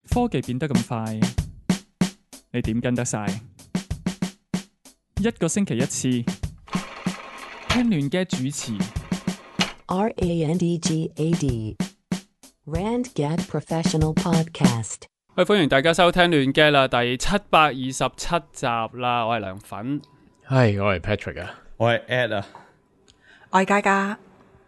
科技變得咁快，你點跟得晒？一個星期一次，聽亂嘅主持。RANDGAD RandGad Professional Podcast。喂，歡迎大家收聽亂嘅啦，第727集啦，我係梁粉，係我係 Patrick 啊，我係 Ed 啊，我係嘉嘉。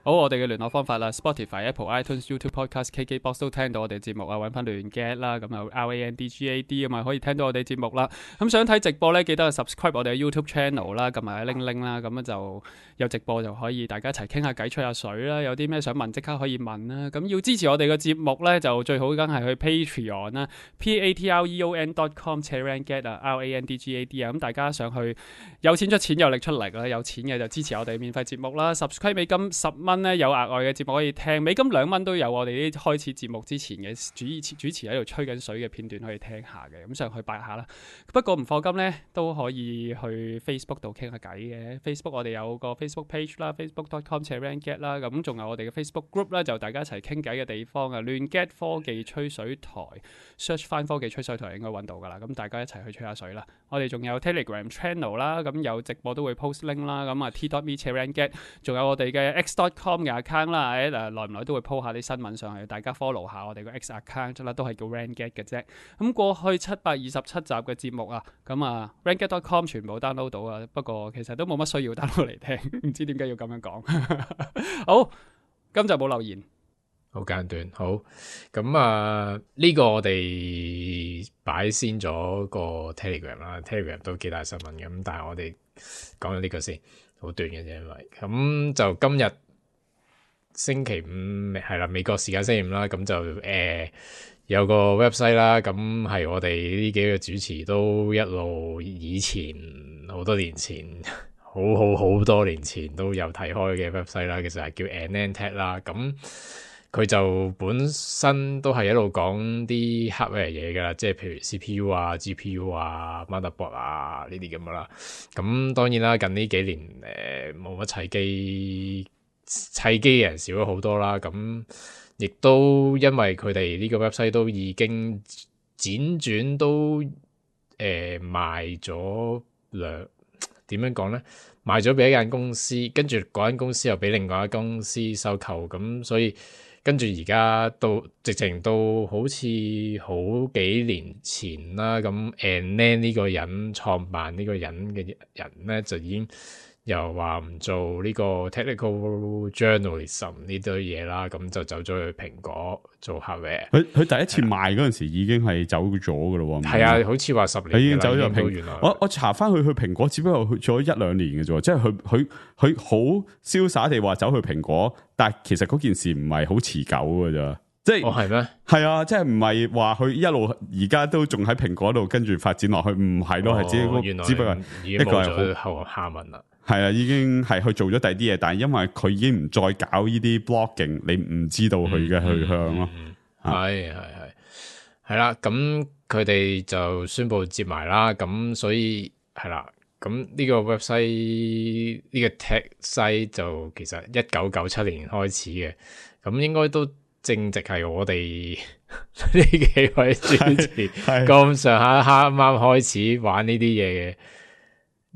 好，我哋嘅聯絡方法啦 ，Spotify、Apple、iTunes、YouTube Podcast、KKBox 都聽到我哋節目啊，揾翻亂 get 啦，咁有 RANDGAD 啊嘛，可以聽到我哋節目啦。咁想睇直播呢，記得 subscribe 我哋嘅 YouTube channel 啦，撳埋鈴鈴啦，咁樣就有直播就可以大家一齊傾下偈、吹下水啦。有啲咩想問，即刻可以問啦。咁要支持我哋嘅節目呢，就最好梗係去 Patreon 啦 ，patreon.com/RANDGAD 啊 ，RANDGAD 啊。咁大家上去有錢出錢，有力出力啦，有錢嘅就支持我哋免費節目啦。subscribe 美金10蚊咧，有額外嘅節目可以聽，美金2蚊都有我哋啲開始節目之前嘅主持喺度吹緊水嘅片段可以聽下嘅，咁上去拜下啦。不過唔課金咧都可以去 Facebook 度傾下偈嘅。Facebook 我哋有個 Facebook page 啦 ，facebook.com/RANDGAD 啦，咁仲有我哋嘅 Facebook group 啦，就大家一齊傾偈嘅地方啊。亂 get 科技吹水台 ，search 翻科技吹水台應該揾到噶啦。咁大家一齊去吹下水啦。我哋仲有 Telegram channel 啦，咁有直播都會 post link 啦。咁啊 t.me/RANDGAD，仲有我哋嘅 x.com嘅 account 啦，耐唔耐都會 po 下啲新聞上去，大家 follow 下我哋個 X account 啦，都係叫 RANDGAD 嘅啫。咁過去727集嘅節目啊，咁啊 RANDGAD.com 全部 download 到啊，不過其實都冇乜需要 download 嚟聽，唔知點解要咁樣講。好，今集冇留言，好簡短。好，咁啊呢個我哋擺先咗個 Telegram 啦 ，Telegram 都幾大新聞嘅，咁但係我哋講咗呢個先，好短嘅啫，因為咁就今日。星期五係啦，美國時間星期五啦，咁就有個 website 啦，咁係我哋呢幾個主持都一路以前好多年前，好多年前都有睇開嘅 website 啦，其實係叫 AnandTech 啦，咁佢就本身都係一路講啲 hardware 嘢噶啦，即係譬如 CPU 啊、GPU 啊、motherboard 啊呢啲咁噶啦，咁當然啦，近呢幾年冇乜砌機嘅人少咗好多啦，咁亦都因為佢哋呢個 website 都已經輾轉都賣咗點樣講咧？賣咗俾一間公司，跟住嗰間公司又俾另外一間公司收購，咁所以跟住而家到直情到好似好幾年前啦，咁 Anand 呢個人創辦呢個人嘅人咧就已經。又話唔做呢個 technical journalism 呢堆嘢啦，咁就走咗去蘋果做 hardware。佢第一次賣嗰陣時已經係走咗噶咯喎。係啊，好似話10年已經走咗蘋果。原來我查翻去蘋果，只不過去咗1-2年嘅啫，即係佢好瀟灑地話走去蘋果，但係其實嗰件事唔係好持久嘅咋。即係係咩？係啊，即係唔係話佢一路而家都仲喺蘋果度跟住發展落去，唔係咯，係只不過已經冇咗後下文啦。係啊，已經係去做咗第二啲嘢，但係因為佢已經唔再搞呢啲 blogging，你唔知道佢嘅去向咯。係啦，咁佢哋就宣布接埋啦，咁所以係啦，咁呢個 website 呢個 tech site 就其實1997年開始嘅，咁應該都正值係我哋呢幾位主持咁上下啱啱開始玩呢啲嘢嘅。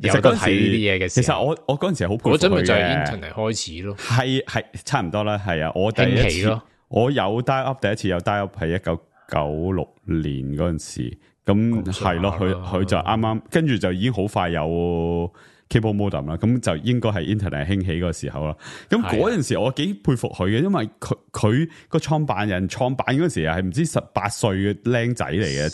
有得睇呢啲嘢嘅時候，其實我嗰陣時係好佩服佢嘅。嗰陣咪就係 internet 開始咯，係差唔多啦，係啊，我第一次我有 dial up，第一次有 dial up 係1996年嗰陣時，咁係咯，佢就啱啱跟住就已經好快有 cable modem 啦，咁就應該係 internet 興起嗰個時候啦。咁嗰陣時我幾佩服佢嘅，因為佢個創辦人創辦嗰陣時係唔知18歲嘅僆仔嚟嘅，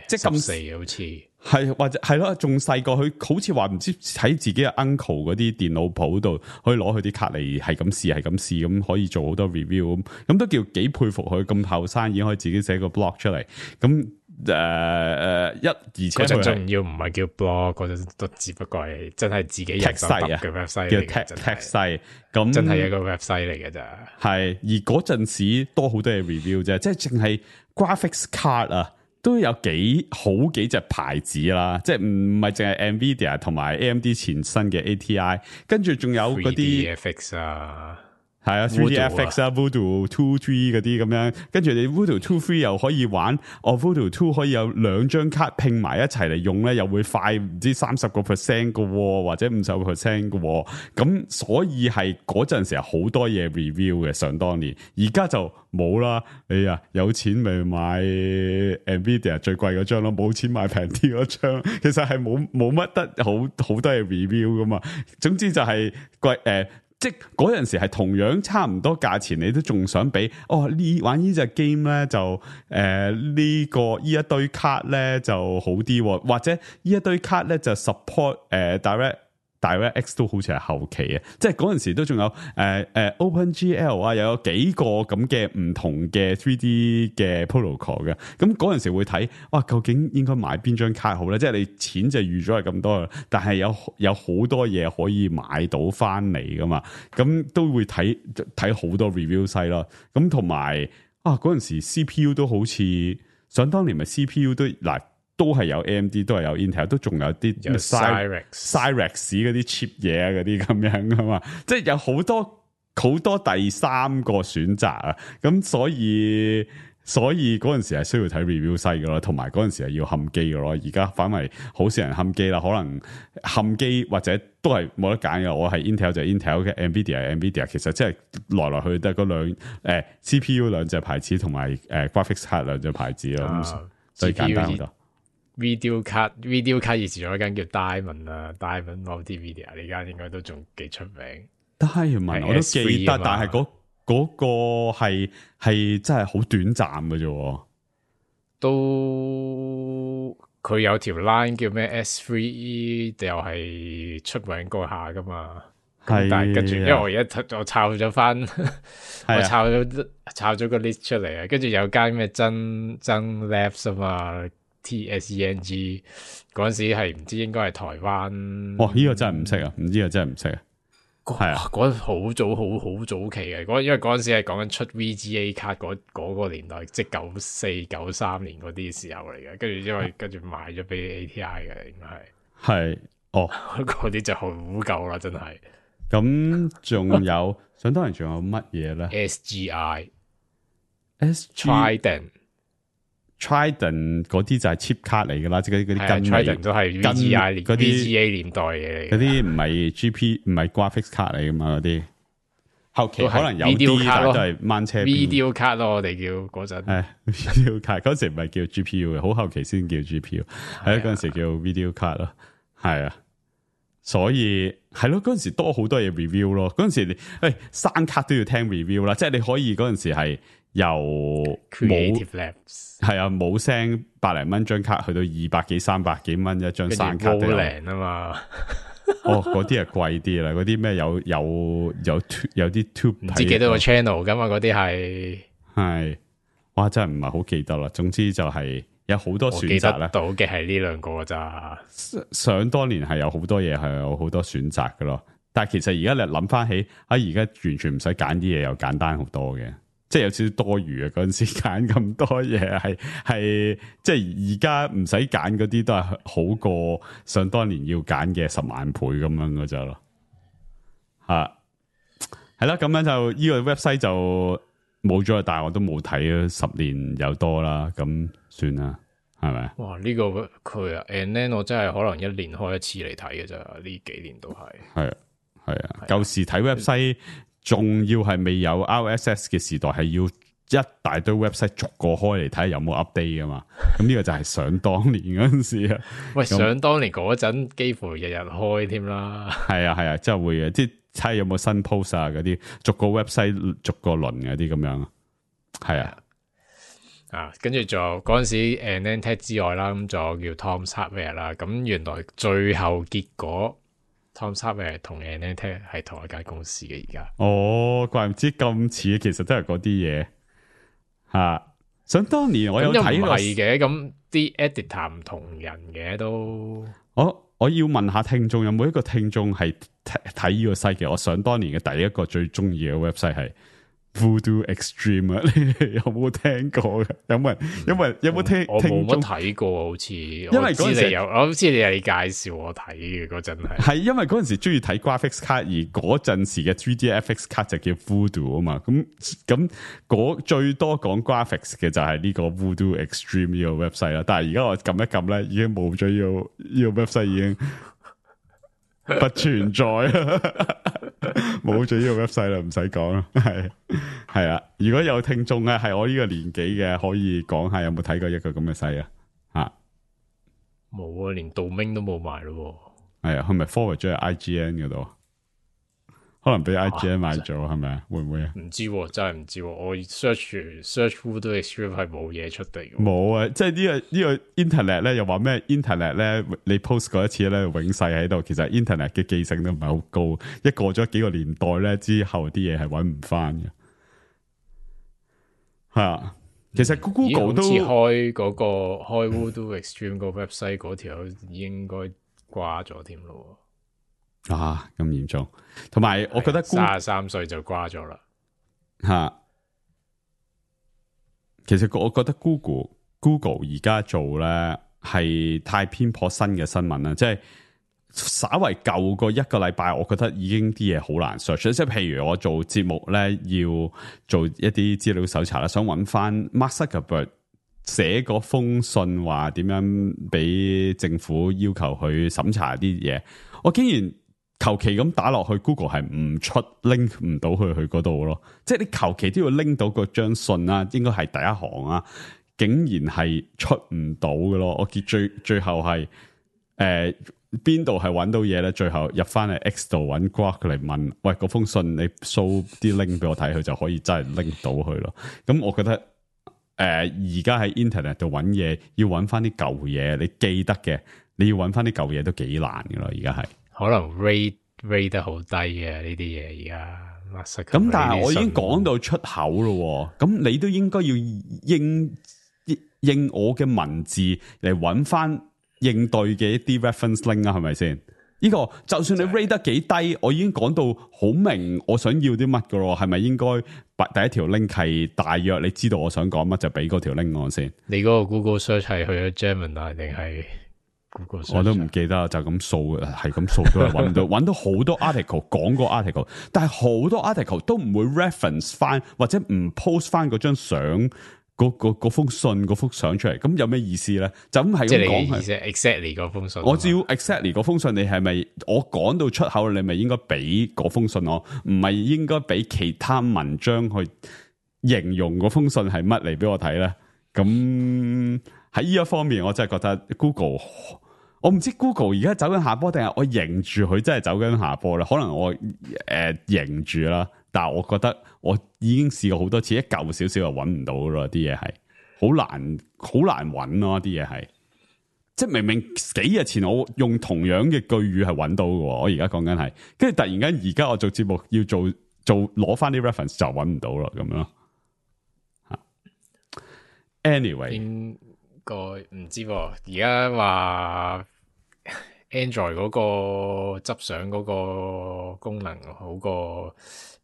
即係14好似。係或者係咯，仲細個，佢好似話唔知喺自己嘅 uncle 嗰啲電腦鋪度可以攞佢啲卡嚟係咁試咁可以做好多 review 咁都叫幾佩服佢咁後生已經可以自己寫個 blog 出嚟咁而且嗰陣仲要唔係叫 blog， 嗰陣都只不過係真係自己人手揼嘅 website 嚟嘅，叫 tech site 咁真係一個 website 嚟嘅咋。係而嗰陣時多好多嘢 review 啫，即係淨係 graphics card 啊。都有好幾隻牌子啦，即係唔係淨係 Nvidia 同埋 AMD 前身嘅 ATI，跟住仲有嗰啲 FX 啊，係啊 3DFX 啊 Voodoo 2 3嗰啲咁樣，跟住你 Voodoo 2 3又可以玩Voodoo 2可以有2張卡拼埋一齊嚟用咧，又會快唔知30% 嘅，或者50% 嘅，咁所以係嗰陣時好多嘢 review 嘅，想當年，而家就冇啦。你啊有錢咪買 Nvidia 最貴嗰張咯，冇錢買平啲嗰張，其實係冇乜得好多嘢 review 噶嘛。總之就係貴即係嗰陣時係同樣差唔多價錢，你都仲想俾玩呢隻 game 咧就呢一堆卡咧就好啲，或者呢一堆卡咧就 support DirectX 都好似係後期啊，即係嗰陣時都仲有OpenGL 啊，又有幾個咁嘅唔同嘅 3D 嘅 protocol 嘅，咁嗰陣時會睇究竟應該買邊張卡好咧？即係你錢就預咗係咁多啦，但係有好多嘢可以買到翻嚟噶嘛，咁都會睇好多 review site 咯，咁同埋嗰陣時 CPU 都好似想當年咪 CPU 都係有 AMD 都係有 Intel 都仲有啲 Cyrex 嗰啲 cheap 嘢啊嗰啲咁樣噶嘛，即係有好多第三個選擇啊，咁所以嗰陣時係需要睇 review site 噶咯，同埋嗰陣時係要冚機噶咯，而家反為好少人冚機啦，可能冚機或者都係冇得揀嘅，我係 Intel 就係 Intel 嘅 Nvidia 係 Nvidia， 其實即係來來去得嗰CPU 兩隻牌子同埋graphics card 兩隻牌子咯，所以簡單好多。video card 以前有一間叫 Diamond 啊 ，Diamond Multimedia 呢間應該都仲幾出名。Diamond 我都記得，但係嗰個係真係好短暫嘅啫。都佢有條 line 叫咩 S3E， 又係出名過下噶嘛。但係跟住，因為我而家我抄咗翻，我抄咗個 list 出嚟啊。跟住有間咩真 Labs 啊嘛。TSENG 嗰陣時係唔知應該係台灣，呢個真係唔識啊，呢個真係唔識啊，係啊，嗰陣好早期嘅，因為嗰陣時係講緊出 VGA 卡嗰個年代，即係94、93年嗰啲時候嚟嘅，跟住賣咗俾 ATI 嘅，應該係嗰啲就好舊啦，真係。咁仲有想當然仲有乜嘢咧 ？Trident 嗰啲就係 cheap 卡嚟噶啦，即係嗰啲跟 Trident 都係 VGA 年代嘢嚟，嗰啲唔係 GP 唔係 graphics 卡嚟噶嘛，嗰啲後期可能有啲，但係都係掹車 video 卡咯，我哋叫嗰陣。video 卡嗰時唔係叫 GPU 嘅，好後期先叫 GPU， 係嗰陣時叫 video 卡咯，係啊，所以係咯，嗰陣時多好多嘢 review 咯，嗰陣時你生卡都要聽 review 啦，即係你可以嗰陣時係由 Creative Labs 係啊，冇聲100零蚊張卡去到200幾300幾蚊一張生卡都有啊嘛。嗰啲係貴啲啦，嗰啲咩有啲 tube 唔知幾多個 channel 噶嘛，嗰啲係哇真係唔係好記得啦。總之就係有好多選擇啦。到嘅係呢兩個咋。想當年係有好多嘢係有好多選擇噶咯，但係其實而家你諗翻起而家完全唔使揀啲嘢，又簡單好多嘅。即係有少少多餘啊！嗰陣時揀咁多嘢係即係而家唔使揀嗰啲都係好過想當年要揀嘅10萬倍咁樣嘅啫咯。係啦，咁樣就呢個 website 就冇咗，但係我都冇睇咗10年有多啦，咁算啦，係咪？哇！呢個佢啊 ，and then 我真係可能1年開一次嚟睇嘅咋，呢幾年都係。係啊，舊時睇 website。仲要係未有 RSS 嘅時代，係要一大堆 website 逐個開嚟睇有冇 update 噶嘛？咁呢個就係想當年嗰陣時啊。喂，想當年嗰陣幾乎日日開添啦。係啊，真係會嘅，即係睇下有冇新 post 啊嗰啲，逐個 website 逐個輪嗰啲咁樣。係啊，跟住仲有嗰陣時 AnandTech 之外啦，咁仲有叫 Tom's Hardware 啦。咁原來最後結果。Tom's Hardware 同 AnandTech 係同一間公司嘅而家。怪唔知咁似，其實都係嗰啲嘢吓。想當年我有睇過，係嘅。咁啲 editor 唔同人嘅都。我要問下聽眾，有冇一個聽眾係睇呢個 site 嘅？我想當年嘅第一個最中意嘅 website 係 Voodoo Extreme 啊，你有冇聽過嘅？有冇聽？我冇乜聽眾睇過，好似因為嗰陣時我好似你係介紹我睇嘅嗰陣係因為嗰陣時中意睇 graphics 卡，而嗰陣時嘅 3D FX 卡就叫 Voodoo 啊嘛。咁嗰最多講 graphics 嘅就係呢個 Voodoo Extreme 呢個 website 啦。但係而家我撳一撳咧，已經冇咗呢個 website 已經不存在啦。冇咗呢個 website 啦，唔使講啦，係啊！如果有聽眾咧，係我呢個年紀嘅，可以講下有冇睇過一個咁嘅 site 啊？冇啊，連 domain 都冇埋咯。係啊，係咪 forward 咗喺 IGN 嗰度？可能俾 IGN 買咗，係咪啊？會唔會啊？唔知喎，真係唔知喎。我 search Voodoo Extreme 係冇嘢出嚟。冇啊！即係呢個 internet 咧，又話咩 internet 咧？你 post 過一次咧，永世喺度。其實 internet 嘅記性都唔係好高，一過咗幾個年代咧之後，啲嘢係揾唔翻嘅。係啊，其實 Google 都好似開Voodoo Extreme 個 website 嗰條應該掛咗添咯。啊，咁嚴重，同埋我覺得33歲就瓜咗啦。吓，其實我覺得 Google 而家做咧係太偏頗新嘅新聞啦，即係稍為舊過一個禮拜，我覺得已經啲嘢好難 search。即係譬如我做節目咧，要做一啲資料搜查啦，想揾翻 Mark Zuckerberg 寫嗰封信話點樣俾政府要求佢審查啲嘢，我竟然求其咁打落去 Google 係唔出 link 唔到去嗰度咯，即係你求其都要拎到嗰張信啊，應該係第一行啊，竟然係出唔到嘅咯。我見最後係邊度係揾到嘢咧？最後入翻嚟 X 度揾 Grok 嚟問，喂，嗰封信你 show 啲 link 俾我睇，佢就可以真係拎到佢咯。咁我覺得而家喺 internet 度揾嘢，要揾翻啲舊嘢，你記得嘅，你要揾翻啲舊嘢都幾難噶咯。而家係。可能 rate 得好低嘅呢啲嘢而家，咁但係我已經講到出口咯，咁你都應該要應我嘅文字嚟揾翻應對嘅一啲 reference link 啊，係咪先？呢個就算你 rate 得幾低，我已經講到好明我想要啲乜噶咯，係咪應該第一條 link 係大約你知道我想講乜就俾嗰條 link 我先？你嗰個 Google search 係去咗 Gemini 定係？我都唔記得，就咁掃，係咁掃都係揾唔到，揾到好多 article 講過 article， 但係好多 article 都唔會 reference 翻或者唔 post 翻嗰張相，嗰封信嗰幅相出嚟，咁有咩意思咧？就咁係咁講，即係 exactly 嗰封信。我只要 exactly 嗰封信，你係咪我講到出口，你咪應該俾嗰封信我，唔係應該俾其他文章去形容嗰封信係乜嚟俾我睇咧？咁喺呢一方面，我真係覺得 Google。我唔知 Google 而家走緊下坡，定係我認住佢真係走緊下坡啦。可能我認住啦，但係我覺得我已經試過好多次，一舊少少就揾唔到咯。啲嘢係好難揾咯，啲嘢係即係明明幾日前我用同樣嘅句語係揾到嘅，我而家講緊係，跟住突然間而家我做節目要做攞翻啲 reference 就揾唔到咯，咁咯。Anyway，應該唔知喎，而家話 Android 嗰個執相嗰個功能好過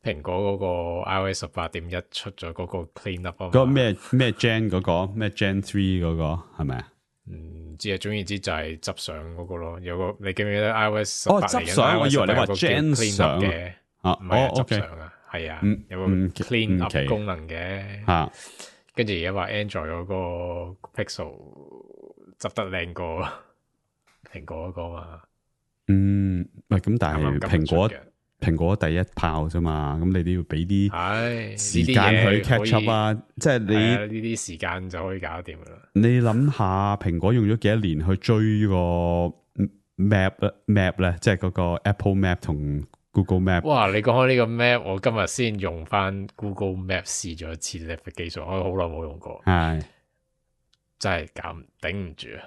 蘋果嗰個 iOS 18.1出咗嗰個 clean up 啊，嗰個咩 Gen 嗰個咩 Gen 3嗰個係咪啊？唔知啊，總言之就係執相嗰個咯。有個你記唔記得 iOS 18執相，我以為你話 Gen 相嘅啊，唔係執相啊，係啊，有個 clean up 功能嘅吓。跟住而家話 Android 嗰個 Pixel 執得靚過蘋果嗰個嘛？喂，咁但係蘋果第一炮啫嘛，咁你都要俾啲時間去 catch up 啊！即係你呢啲時間就可以搞掂噶啦。你諗下，蘋果用咗幾多年去追個 map 咧，即係嗰個 Apple Map 同 Google Map。哇！你講開呢個 map，我今日先用翻 Google Map 試咗一次呢個技術，我好耐冇用過，係真係頂唔住啊！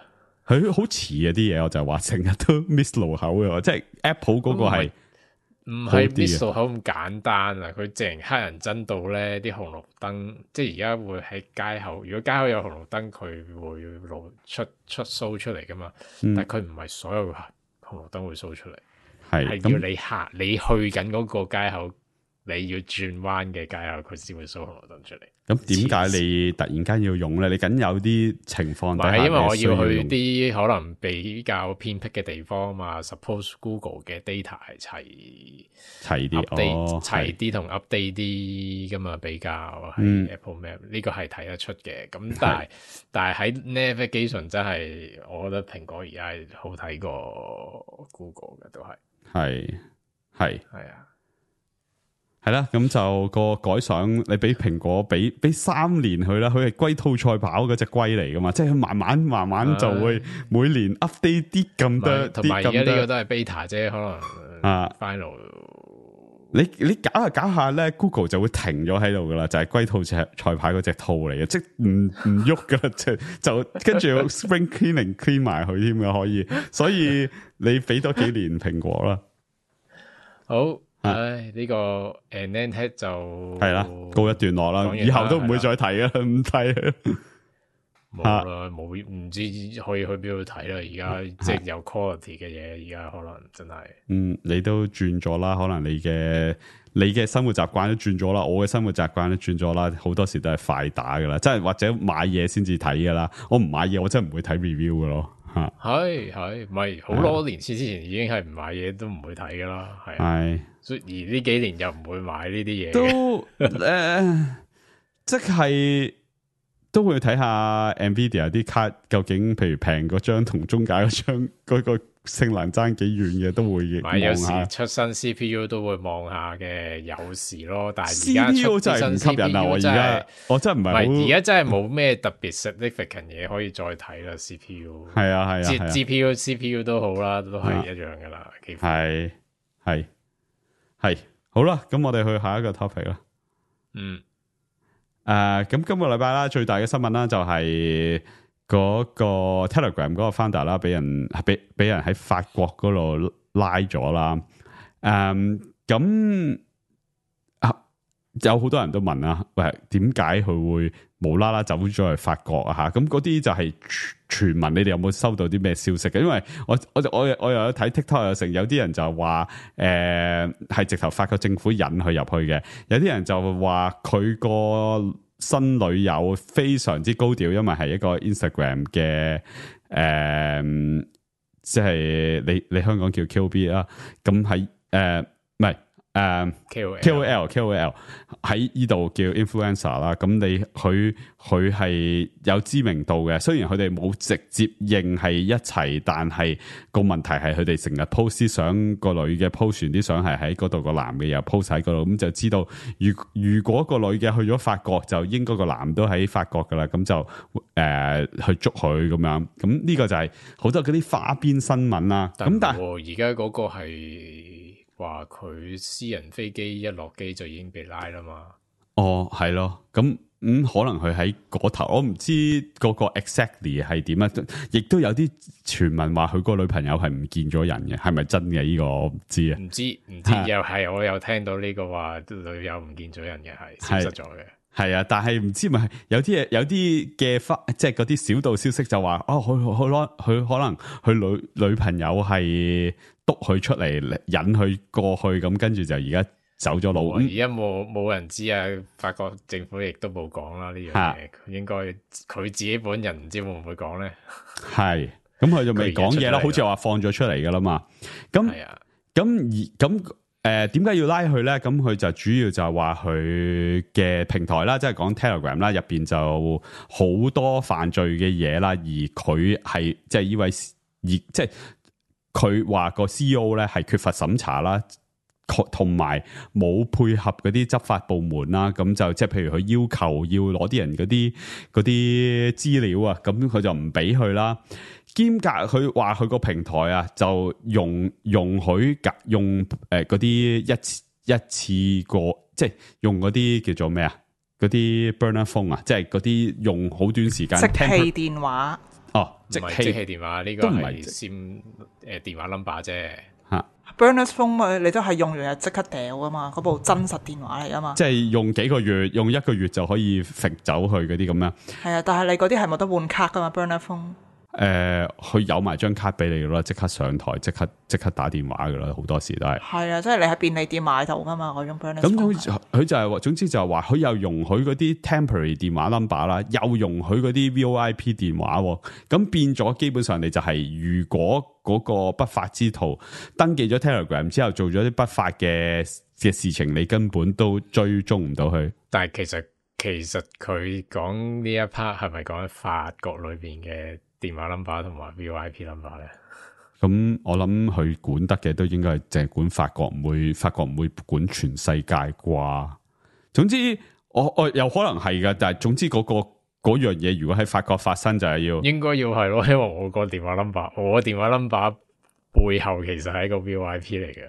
佢好遲啊啲嘢，我就話成日都 miss 路口嘅，即係 Apple 嗰個係唔係 miss 路口咁簡單啊！佢淨黑人憎到咧，啲紅綠燈，即係而家會喺街口，如果街口有紅綠燈，佢會露出 show 出嚟噶嘛。但係佢唔係所有紅綠燈會 show 出嚟，係要你行，你去緊嗰個街口你要轉彎嘅街口，佢先會 show 紅綠燈出嚟。咁點解你突然間要用咧？你緊有啲情況底下，因為我要去啲可能比較偏僻嘅地方嘛。Suppose Google 嘅 data 係齊啲，齊啲同 update 啲噶嘛，比較係 Apple Map 呢個係睇得出嘅。咁但係喺 navigation 真係，我覺得蘋果而家係好睇過 Google 嘅，都係啊。係啦，咁就個改相，你俾蘋果俾3年佢啦，佢係龜兔賽跑嗰隻龜嚟噶嘛，即係佢慢慢就會每年 update 啲咁多，同埋而家呢個都係 beta 啫，可能final。你搞下咧 ，Google 就會停咗喺度噶啦，就係龜兔賽跑嗰隻兔嚟嘅，即係唔喐噶啦，就跟住 spring cleaning clean 埋佢添噶，可以，所以你俾多幾年蘋果啦。好。呢個 Nantech 就係啦，告一段落啦，以後都唔會再睇啦，唔睇冇啦，冇唔知可以去邊度睇啦。而家即係有 quality 嘅嘢，而家可能真係你都轉咗啦，可能你嘅生活習慣都轉咗啦，我嘅生活習慣都轉咗啦，好多時都係快打噶啦，即係或者買嘢先至睇噶啦。我唔買嘢，我真係唔會睇 review 噶咯。係，唔係好多年之前已經係唔買嘢都唔會睇噶啦，係。所以而呢幾年又唔會買呢啲嘢，都即係都會睇下 Nvidia 啲卡究竟，譬如平嗰張同中價嗰張嗰個性能爭幾遠嘅，都會望下。有時出新 CPU 都會望下嘅，有時咯。但係而家 CPU 真係唔吸引啊！我真係唔係，而家真係冇咩特別 significant 嘢可以再睇啦。CPU 係啊，GPU CPU 都好啦，都係一樣噶啦。係好啦，咁我哋去下一個 topic 啦。咁今個禮拜啦，最大嘅新聞啦，就係嗰個 Telegram 嗰個 founder 啦，俾人喺法國嗰度拉咗啦。咁有好多人都問啊，喂，點解佢會無啦啦走咗去法國啊？吓，咁嗰啲就係傳聞，你哋有冇收到啲咩消息嘅？因為我又有睇 TikTok 有成，有啲人就話係直頭法國政府引佢入去嘅，有啲人就話佢個新女友非常之高調，因為係一個 Instagram 嘅即係你香港叫 QB 啦，咁喺唔係。KOL 喺呢度叫 influencer 啦，咁佢係有知名度嘅，雖然佢哋冇直接認係一齊，但係個問題係佢哋成日 post 啲相，個女嘅 post 完啲相係喺嗰度，個男嘅又 post 喺嗰度，咁就知道如果個女嘅去咗法國，就應該個男都喺法國噶啦，咁就去捉佢咁樣，咁呢個就係好多嗰啲花邊新聞啦。咁但係而家嗰個係。話佢私人飛機一落機就已經被拉啦嘛？係咯，咁可能佢喺嗰頭，我唔知嗰個 exactly 係點啊，亦都有啲傳聞話佢個女朋友係唔見咗人嘅，係咪真嘅？呢個我唔知啊，唔知又係我有聽到呢個話女友唔見咗人嘅，係消失咗嘅。係啊，但係唔知咪有啲嘅即係嗰啲小道消息就話佢可能佢女朋友係督佢出嚟引佢過去，咁跟住就而家走咗路。而家冇人知啊，法國政府亦都冇講啦呢樣嘢。應該佢自己本人唔知會唔會講咧。係，咁佢就未講嘢啦，好似話放咗出嚟噶啦嘛。咁點解要拉佢咧？咁佢就主要就係話佢嘅平台啦，即係講 Telegram 啦，入邊就好多犯罪嘅嘢啦，而佢係即係呢位即係佢話個 CEO 咧係缺乏審查啦，同埋冇配合嗰啲執法部門啦，咁就即係譬如佢要求要攞啲人嗰啲資料啊，咁佢就唔俾佢啦。兼夾佢話佢個平台啊，就容許用嗰啲一次過，即係用嗰啲叫做咩啊？嗰啲 burner phone 啊，即係嗰啲用好短時間即棄電話。即棄電話呢個係佔電話 number 啫。Burner phone 你都係用完就即刻掉噶嘛，嗰部真實電話嚟噶嘛。即係用幾個月，用1個月就可以揈走去嗰啲咁樣。係啊，但係你嗰啲係冇得換卡噶嘛 ，Burner phone。佢有埋張卡俾你噶啦，即刻上台，即刻打電話噶啦，好多時都係。係啊，即係你喺便利店買到噶嘛嗰種 Burner。咁佢就係話，總之就係話，佢又容許嗰啲 temporary 電話 number 啦，又容許嗰啲 VoIP 電話，咁變咗基本上你就係，如果嗰個不法之徒登記咗 Telegram 之後做咗啲不法嘅事情，你根本都追蹤唔到佢。但係其實佢講呢一 part 係咪講喺法國裏邊嘅電話 number 同埋 VoIP number 咧？咁我諗佢管得嘅都應該係淨係管法國，法國唔會管全世界啩。總之我有可能係噶，但係總之嗰樣嘢如果喺法國發生就係應該要係咯，因為我個電話 number， 我個電話 number 背後其實係一個 VoIP 嚟嘅。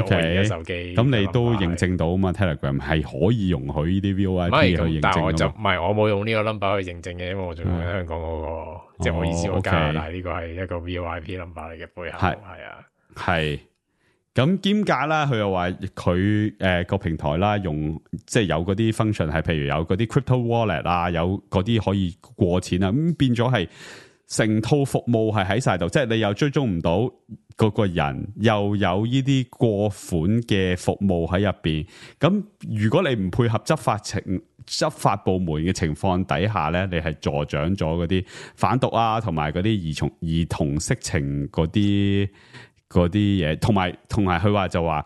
OK， 手機咁你都認證到嘛 ？Telegram 係可以容許呢啲 VoIP 去認證，但係我就唔係，我冇用呢個 number 去認證嘅，因為我仲用喺香港嗰個，即係我意思，我加拿大呢個係一個 VoIP number 嚟嘅背後，係啊，係。咁兼夾啦，佢又話佢個平台啦，用即係有嗰啲 function 係，譬如有嗰啲 crypto wallet 啊，有嗰啲可以過錢啊，咁變咗係成套服務係喺晒度，即係你又追蹤唔到嗰個人，又有呢啲過款嘅服務喺入邊。咁如果你唔配合執法部門嘅情況底下咧，你係助長咗嗰啲販毒啊，同埋嗰啲兒童色情嗰啲嘢，同埋佢話就話，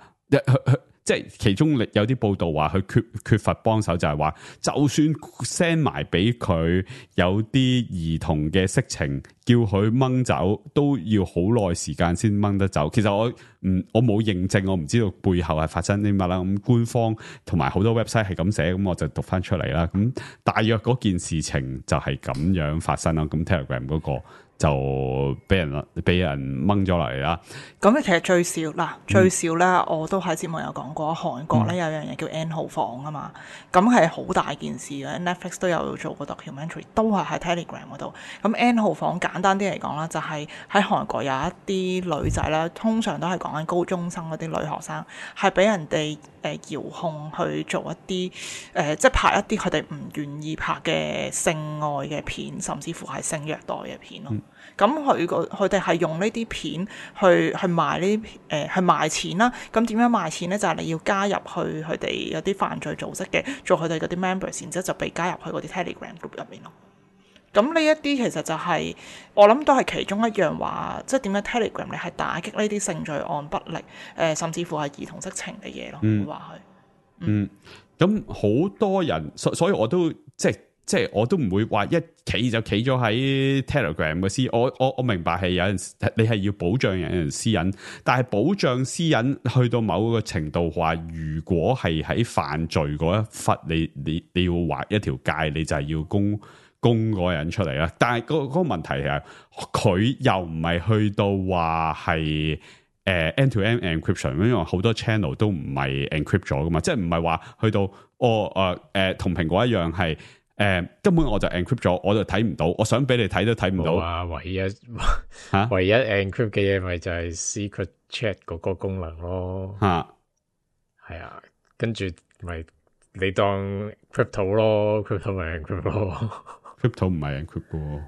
即係其中有啲報道話佢缺乏幫手，就係話就算 send 埋俾佢有啲兒童嘅色情，叫佢掹走都要好耐時間先掹得走。其實我冇認證，我唔知道背後係發生啲乜啦。咁官方同埋好多 website 係咁寫，咁我就讀翻出嚟啦。咁大約嗰件事情就係咁樣發生啦。咁 Telegram 嗰個就俾人掹咗落嚟啦。咁其實最少咧，我都喺節目有講過，韓國咧有樣嘢叫 N 號房啊嘛，咁係好大件事嘅。Netflix 都有做過 documentary， 都係喺 Telegram 嗰度。咁 N 號房簡單啲嚟講啦，就係喺韓國有一啲女仔啦，通常都係講緊高中生嗰啲女學生，係俾人哋遙控去做一啲即係拍一啲佢哋唔願意拍嘅性愛嘅片，甚至乎係性虐待嘅片咯。咁佢哋係用呢啲片去賣呢啲去賣錢啦。咁點樣賣錢咧？就係你要加入去佢哋有啲犯罪組織嘅，做佢哋嗰啲 members， 然之後就被加入去嗰啲 Telegram group 入面咯。咁呢一啲其實就係我諗都係其中一樣話，即係點解 Telegram 你係打擊呢啲性罪案不力，甚至乎係兒童色情嘅嘢咯，會話佢。咁好多人，所以我都即係我都唔會話一企就企咗喺 Telegram 嘅私，我明白係有陣時你係要保障人私隱，但係保障私隱去到某個程度話，如果係喺犯罪嗰一忽，你要劃一條界，你就係要公嗰個人出嚟啦。但係嗰個問題係佢又唔係去到話係end-to-end encryption， 因為好多 channel 都唔係 encrypt 咗噶嘛，即係唔係話去到同蘋果一樣係。根本我就 encrypt 咗，我就睇唔到，我想俾你睇都睇唔到。啊，唯一 encrypt 嘅嘢咪就係 secret chat 嗰個功能咯。係啊，跟住咪你當 crypto 咯 ，crypto 咪 encrypt 咯。crypto 唔係 encrypt 嘅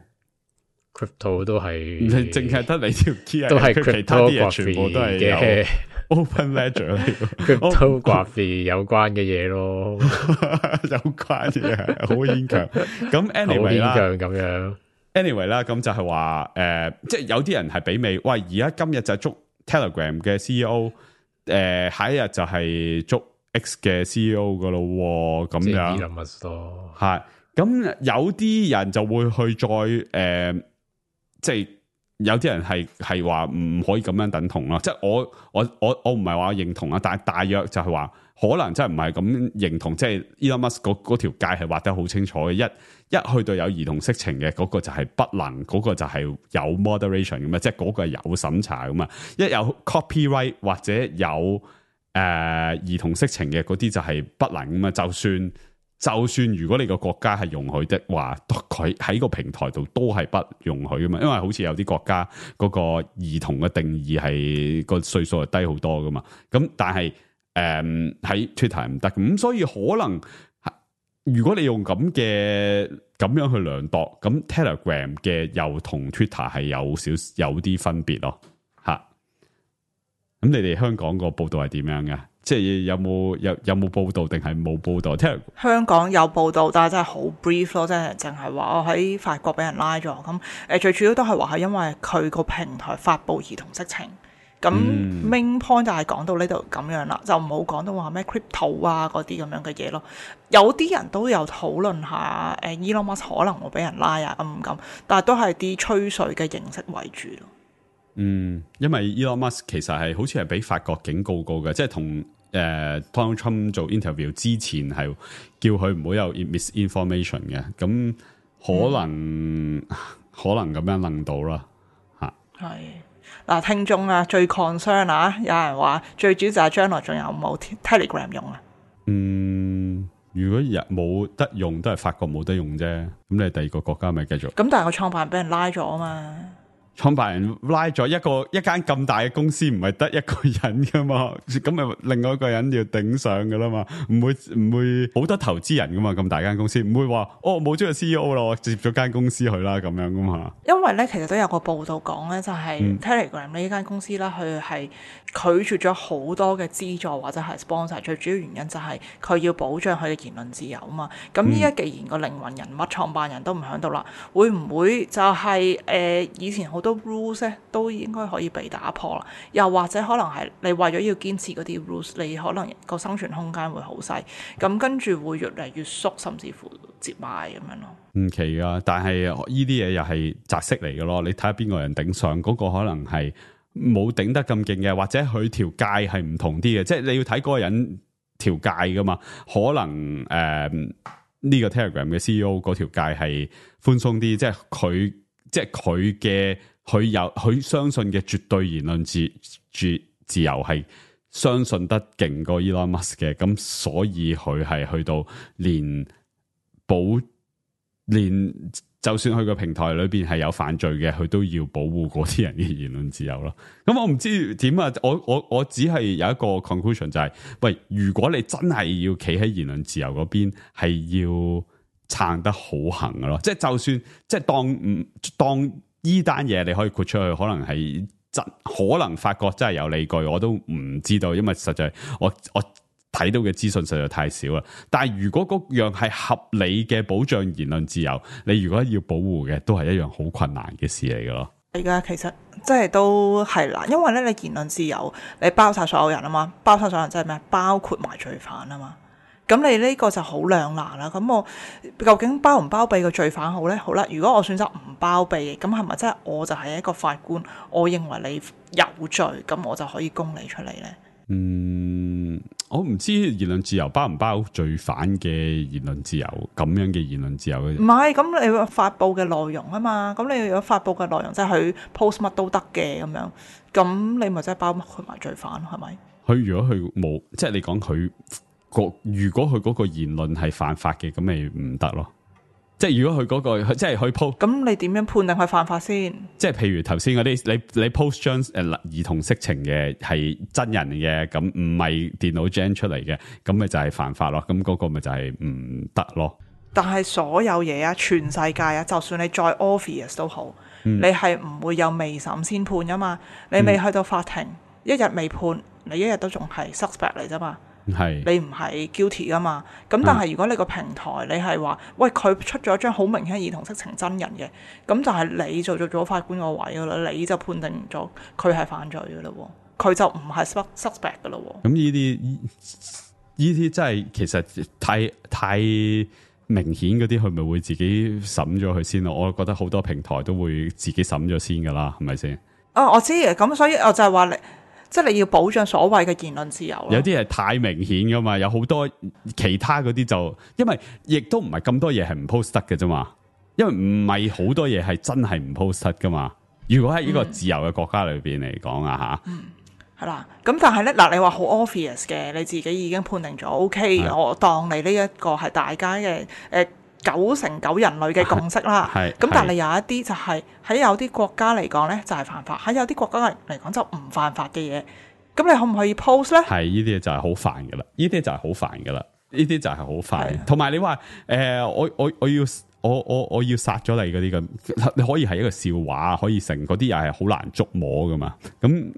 ，crypto 都係你淨係得你條 key 都係其他啲嘢全部都係嘅。Open Ledger、cryptography 有關嘅嘢咯，有關嘅好牽強。咁 anyway 啦，咁樣 anyway 啦，咁就係話即係有啲人係俾尾，喂，而家今日就捉 Telegram 嘅 CEO，下一日就係捉 X 嘅 CEO 噶咯，咁樣係。咁有啲人就會去再即係。有啲人係話唔可以咁樣等同咯，即係我唔係話認同啊，但係大約就係話可能真係唔係咁認同，即係 Elon Musk 嗰條界係畫得好清楚嘅，一去到有兒童色情嘅嗰個就係不能，嗰個就係有 moderation 咁啊，即係嗰個係有審查咁啊，一有 copyright 或者有兒童色情嘅嗰啲就係不能咁啊，就算如果你個國家係容許的話，佢喺個平台度都係不容許噶嘛，因為好似有啲國家嗰個兒童嘅定義係個歲數係低好多噶嘛，咁但係喺 Twitter 唔得，咁所以可能如果你用咁樣去量度，咁 Telegram 嘅又同 Twitter 係有啲分別咯，吓。咁你哋香港個報道係點樣嘅？即係有冇報道定係冇報道？香港有報道，但係真係好 brief 咯，即係淨係話我喺法國俾人拉咗。咁最主要都係話係因為佢個平台發布兒童色情。咁 main point 就係講到呢度咁樣啦，就唔好講到話咩 crypto 啊嗰啲咁樣嘅嘢咯。有啲人都有討論下Elon Musk 可能會俾人拉啊咁，但係都係啲吹水嘅形式為主咯。因為 Elon Musk 其實係好似係俾法國警告過嘅，即係同Donald Trump 做 interview 之前係叫佢唔好有 misinformation 嘅，咁可能咁樣諗到啦嚇。係嗱，聽眾啊最 concern 啊，有人話最主要就係將來仲有冇 Telegram 用啊？如果冇得用，都係法國冇得用啫。咁你第二個國家咪繼續？咁但係個創辦人俾人拉咗啊嘛。創辦人拉咗一間咁大嘅公司，唔係得一個人噶嘛，咁咪另外一個人要頂上噶啦嘛，唔會好多投資人噶嘛，咁大間公司唔會話冇咗個 CEO 啦，我接咗間公司去啦咁樣噶嘛。因為咧，其實都有個報道講咧，就係 Telegram 呢間公司咧，佢係拒絕咗好多嘅資助或者係 sponsor， 最主要原因就係佢要保障佢嘅言論自由啊嘛。咁依家既然個靈魂人物創辦人都唔喺度啦，會唔會就係以前好多 rules 咧都應該可以被打破啦，又或者可能係你為咗要堅持嗰啲 rules， 你可能個生存空間會好細，咁跟住會越嚟越縮，甚至乎接埋咁樣咯。唔奇噶，但係呢啲嘢又係擲色嚟嘅咯。你睇下邊個人頂上，嗰個可能係冇頂得咁勁嘅，或者佢條界係唔同啲嘅，即係你要睇嗰個人條界噶嘛。可能呢個 Telegram 嘅 CEO 嗰條界係寬鬆啲，即係佢相信嘅絕對言論自由係相信得勁過 Elon Musk 嘅，咁所以佢係去到連就算佢個平台裏邊係有犯罪嘅，佢都要保護嗰啲人嘅言論自由咯。咁我唔知點啊，我只係有一個 conclusion 就係，喂，如果你真係要企喺言論自由嗰邊，係要撐得好行嘅咯。即係就算即係當依單嘢你可以豁出去，可能係可能法國真係有理據，我都唔知道，因為實在我睇到嘅資訊實在太少啦。但係如果嗰樣係合理嘅保障言論自由，你如果要保護嘅，都係一樣好困難嘅事嚟嘅咯。而家其實即係都係啦，因為咧你言論自由你包晒所有人啊嘛，包晒所有人即係咩？包括埋罪犯啊嘛。咁你呢個就好兩難啦。咁我究竟包唔包庇個罪犯好呢？好啦，如果我選擇唔包庇嘅，咁係咪真係我就係一個法官？我認為你有罪，咁我就可以供你出嚟呢？我唔知言論自由包唔包罪犯嘅言論自由，咁樣嘅言論自由嘅。唔係，咁你發布嘅內容啊嘛，咁你如果發布嘅內容即係佢 post 乜都得嘅咁樣，咁你咪真係包括埋罪犯係咪？佢如果佢冇，即係你講佢。如果佢嗰個言論係犯法嘅，咁咪唔得咯。即係如果佢嗰個即係佢 post，咁你點樣判定佢犯法先？即係譬如頭先嗰啲，你 post 張兒童色情嘅係真人嘅，咁唔係電腦 gen 出嚟嘅，咁咪就係犯法咯。咁嗰個咪就係唔得咯。但係所有嘢啊，全世界啊，就算你再 obvious 都好，你係唔會有未審先判噶嘛。你未去到法庭，一日未判，你一日都仲係 suspect 嚟啫嘛。你唔係 guilty 噶嘛？咁但係如果你個平台你係話，喂，佢出咗一張好明顯兒童色情真人嘅，咁就係你做咗法官個位噶啦，你就判定咗佢係犯罪噶啦，佢就唔係 suspect 噶啦。咁呢啲真係其實太明顯嗰啲，佢咪會自己審咗佢先咯？我覺得好多平台都會自己審咗先噶啦，係咪先？我知嘅，咁所以我就係話你。即係你要保障所謂嘅言論自由咯。有啲係太明顯噶嘛，有好多其他嗰啲就，因為亦都唔係咁多嘢係唔 post 得嘅啫嘛。因為唔係好多嘢係真係唔 post 得噶嘛。如果喺呢個自由嘅國家裏邊嚟講啊吓，係啦。咁但係咧嗱，你話好 obvious 嘅，你自己已經判定咗 OK，我當你呢一個係大家嘅9成9人類嘅共識啦，咁但係有一啲就係喺有啲國家嚟講咧就係犯法，喺有啲國家嚟講就唔犯法嘅嘢，咁你可唔可以 post 咧？係呢啲就係好煩噶啦，呢啲就係好煩噶啦。呢啲就係好快。同埋你話我要殺咗你嗰啲咁，你可以係一個笑話，可以成嗰啲又係好難捉摸噶嘛。咁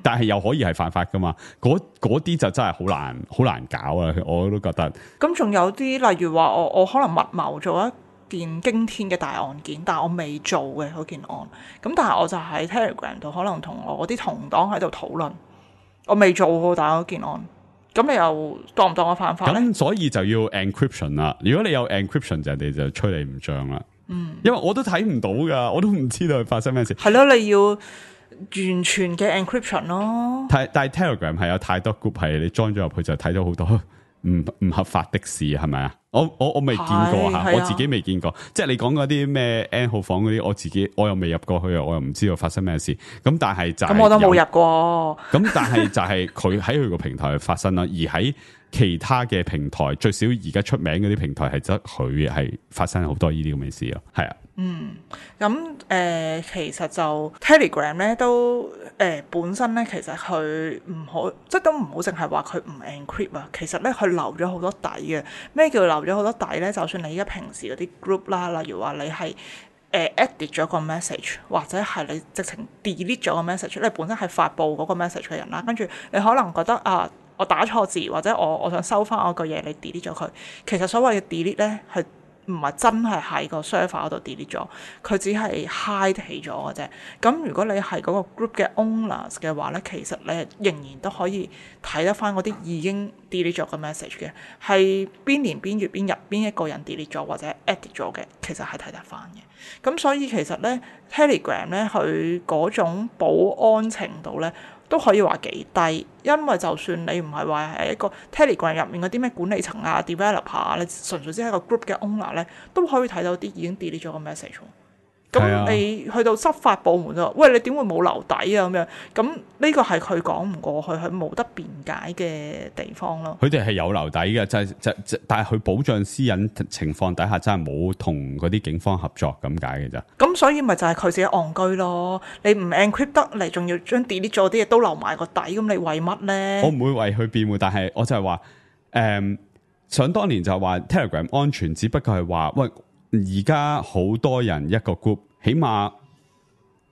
但係又可以係犯法噶嘛。嗰啲就真係好難搞啊！我都覺得。咁仲有啲例如話我可能密謀做一件驚天嘅大案件，但係我未做嘅嗰件案，咁但係我就喺 Telegram 度可能同我啲同黨喺度討論，我未做過但係嗰件案。咁你又當唔當我犯法咧？咁所以就要 encryption 啦。如果你有 encryption，人哋就吹你唔脹啦。因為我都睇唔到噶，我都唔知道發生咩事。係咯，你要完全嘅 encryption 咯。但係 Telegram 係有太多 group 係你 join 咗入去就睇到好多唔合法的事，係咪啊？我未見過吓，我自己未見過。即係你講嗰啲咩 N 號房嗰啲，我又未入過去啊，我又唔知道發生咩事。咁但係就咁我都冇入過。咁但係就係佢喺佢個平台發生啦，而喺其他嘅平台，最少而家出名嗰啲平台係得佢係發生好多呢啲咁嘅事咯。係啊。咁其實就 Telegram 咧都本身咧，其實佢唔好，即係都唔好淨係話佢唔 encrypt 啊。其實咧佢留咗好多底嘅。咩叫留咗好多底咧？就算你而家平時嗰啲 group 啦，例如話你係edit 咗個 message， 或者係你直情 delete 咗個 message， 你本身係發布嗰個 message 嘅人啦，跟住你可能覺得啊，我打錯字或者我想收翻我個嘢，你 delete 咗佢。其實所謂嘅 delete 咧係唔係真係喺個 server 嗰度 delete 咗，佢只係 hide 起咗嘅啫。咁如果你係嗰個 group 嘅 owners 嘅話咧，其實你仍然都可以睇得翻嗰啲已經 delete 咗嘅 message 嘅，係邊年邊月邊日邊一個人 delete 咗或者 edit 咗嘅，其實係睇得翻嘅。咁所以其實咧 Telegram 咧佢嗰種保安程度咧都可以話幾低，因為就算你唔係話係一個 Telegram 入面嗰啲咩管理層啊、developer 啊，你純粹只係一個 group 嘅 owner 咧，都可以睇到啲已經 delete 咗個 message。咁你去到執法部門就，喂，你點會冇留底啊？咁樣，咁呢個係佢講唔過去，佢冇得辯解嘅地方咯。佢哋係有留底嘅，但係佢保障私隱情況底下，真係冇同嗰啲警方合作咁解嘅咋。咁所以咪就係佢自己戇居咯。你唔 encrypt 得嚟，仲要將 delete 咗啲嘢都留埋個底，咁你為乜咧？我唔會為佢辯護，但係我就係話，想當年就係話 Telegram 安全，只不過係話喂。而家好多人一個 group， 起碼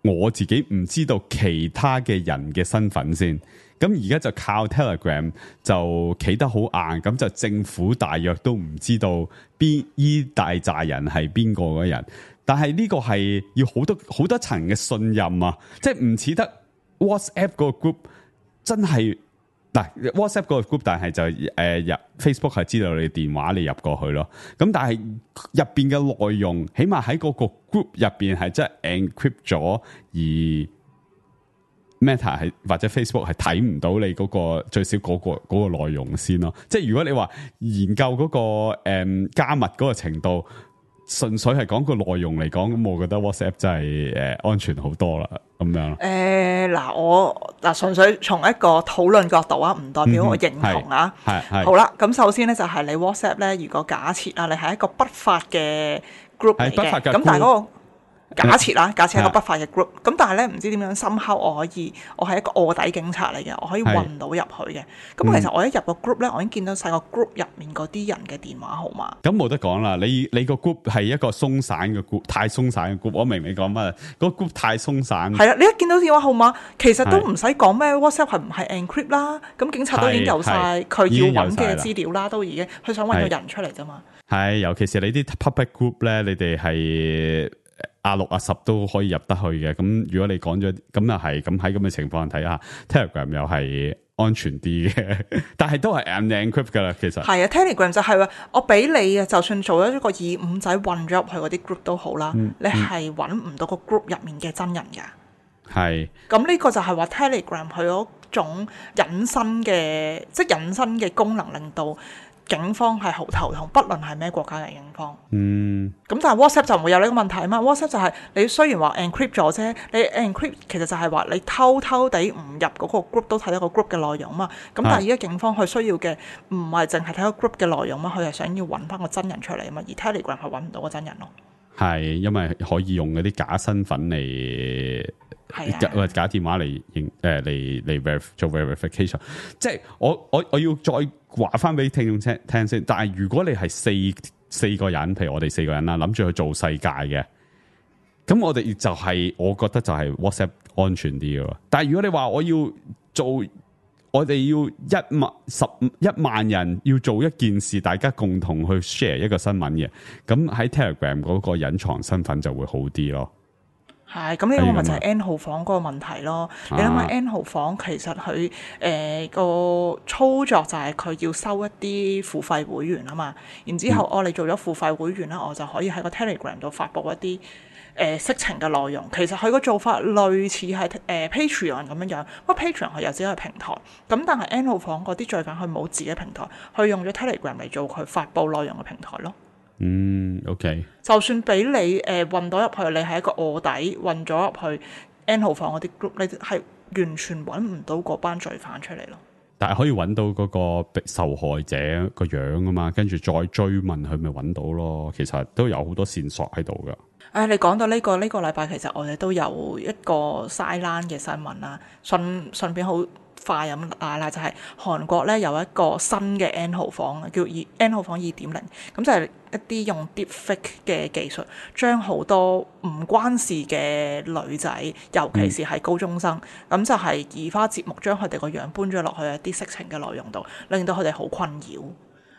我自己唔知道其他嘅人嘅身份先。咁而家就靠 Telegram 就企得好硬，咁就政府大約都唔知道邊依大扎人係邊個嘅人。但係呢個係要好多層嘅信任啊，即係唔似得 WhatsApp 個 group 真係。嗱 WhatsApp 個 group， 但係就入 Facebook 係知道你電話你入過去咯。咁但係入邊嘅內容，起碼喺嗰個 group 入邊係真係 encrypt 咗，而 Meta 係或者 Facebook 係睇唔到你嗰個最少嗰個內容先咯。即係如果你話研究嗰個加密嗰個程度，純粹係講個內容嚟講，咁我覺得 WhatsApp 真係安全好多啦，咁樣。我純粹從一個討論角度啊，唔代表我認同啊。係好啦，咁首先咧就係你 WhatsApp 咧，如果假設啊，你係一個不法嘅 group 嚟嘅，咁但係嗰個假設係一個不法嘅 group， 咁但係咧唔知點樣somehow我係一個臥底警察嚟嘅，我可以混到入去嘅。咁其實我一入個 group 咧，我已經見到細個 group 入面嗰啲人嘅電話號碼。咁冇得講啦，你個 group 係一個鬆散嘅 group， 太鬆散嘅 group。我明你講乜？個 group 太鬆散。係啦，你一見到電話號碼，其實都唔使講咩 WhatsApp 係唔係 encrypt 啦。咁警察都已經有晒佢要揾嘅資料啦，都已經佢想揾個人出嚟啫嘛。係，尤其是你啲 public group 咧，你哋係A6、A10都可以入得去嘅。咁如果你講咗，咁又係咁喺咁嘅情況睇下 Telegram 又係安全啲嘅，但係都係 unencrypt 噶啦。其實係啊 ，Telegram 就係話我俾你啊，就算做咗一個25仔混咗入去嗰啲 group 都好啦，你係揾唔到個 group 入面嘅真人噶。係。咁呢個就係話 Telegram 佢嗰種隱身嘅，即係隱身嘅功能，令到警方係好頭痛，不論係咩國家嘅警方。咁但係 WhatsApp 就唔會有呢個問題啊嘛。WhatsApp 就係你雖然話 encrypt 咗啫，你 encrypt 其實就係話你偷地唔入嗰個 group 都睇到個 group 嘅內容啊嘛。咁但係而家警方佢需要嘅唔係淨係睇個 group 嘅內容嘛，佢係想要揾翻個真人出嚟啊嘛。而 Telegram 係揾唔到個真人咯。係因為可以用嗰啲假身份嚟。假電話嚟做 verification， 即係我要再話翻俾聽眾聽先。但係如果你係四個人，譬如我哋4個人啦，諗住去做世界嘅，咁我哋就係、我覺得就係 WhatsApp 安全啲嘅。但係如果你話我要做，我哋要1萬人要做一件事，大家共同去 share 一個新聞嘅，咁喺 Telegram 嗰個隱藏身份就會好啲咯。係，咁呢個咪就係 N 號房嗰個問題咯。你諗下 N 號房其實佢個操作就係佢要收一啲付費會員啊嘛，然之後你做咗付費會員啦，我就可以喺個 Telegram 度發布一啲色情嘅內容。其實佢個做法類似係Patreon 咁樣樣，不過 Patreon 佢有自己嘅平台，咁但係 N 號房嗰啲罪犯佢冇自己平台，佢用咗 Telegram 嚟做佢發布內容嘅平台咯。OK。就算俾你運到入去，你係一個臥底運咗入去 N 號房嗰啲 group， 你係完全揾唔到嗰班罪犯出嚟咯。但係可以揾到嗰個受害者個樣啊嘛，跟住再追問佢咪揾到咯。其實都有好多線索喺度噶。你講到呢個禮拜，其實我哋都有一個 sideline 嘅新聞啦，順便好快咁啦，就係韓國咧有一個新嘅 N 號房，叫 N 號房2.0，咁就係一啲用 deepfake 嘅技術，將好多唔關事嘅女仔，尤其是係高中生，咁就係移花接木，將佢哋個樣搬咗落去一啲色情嘅內容度，令到佢哋好困擾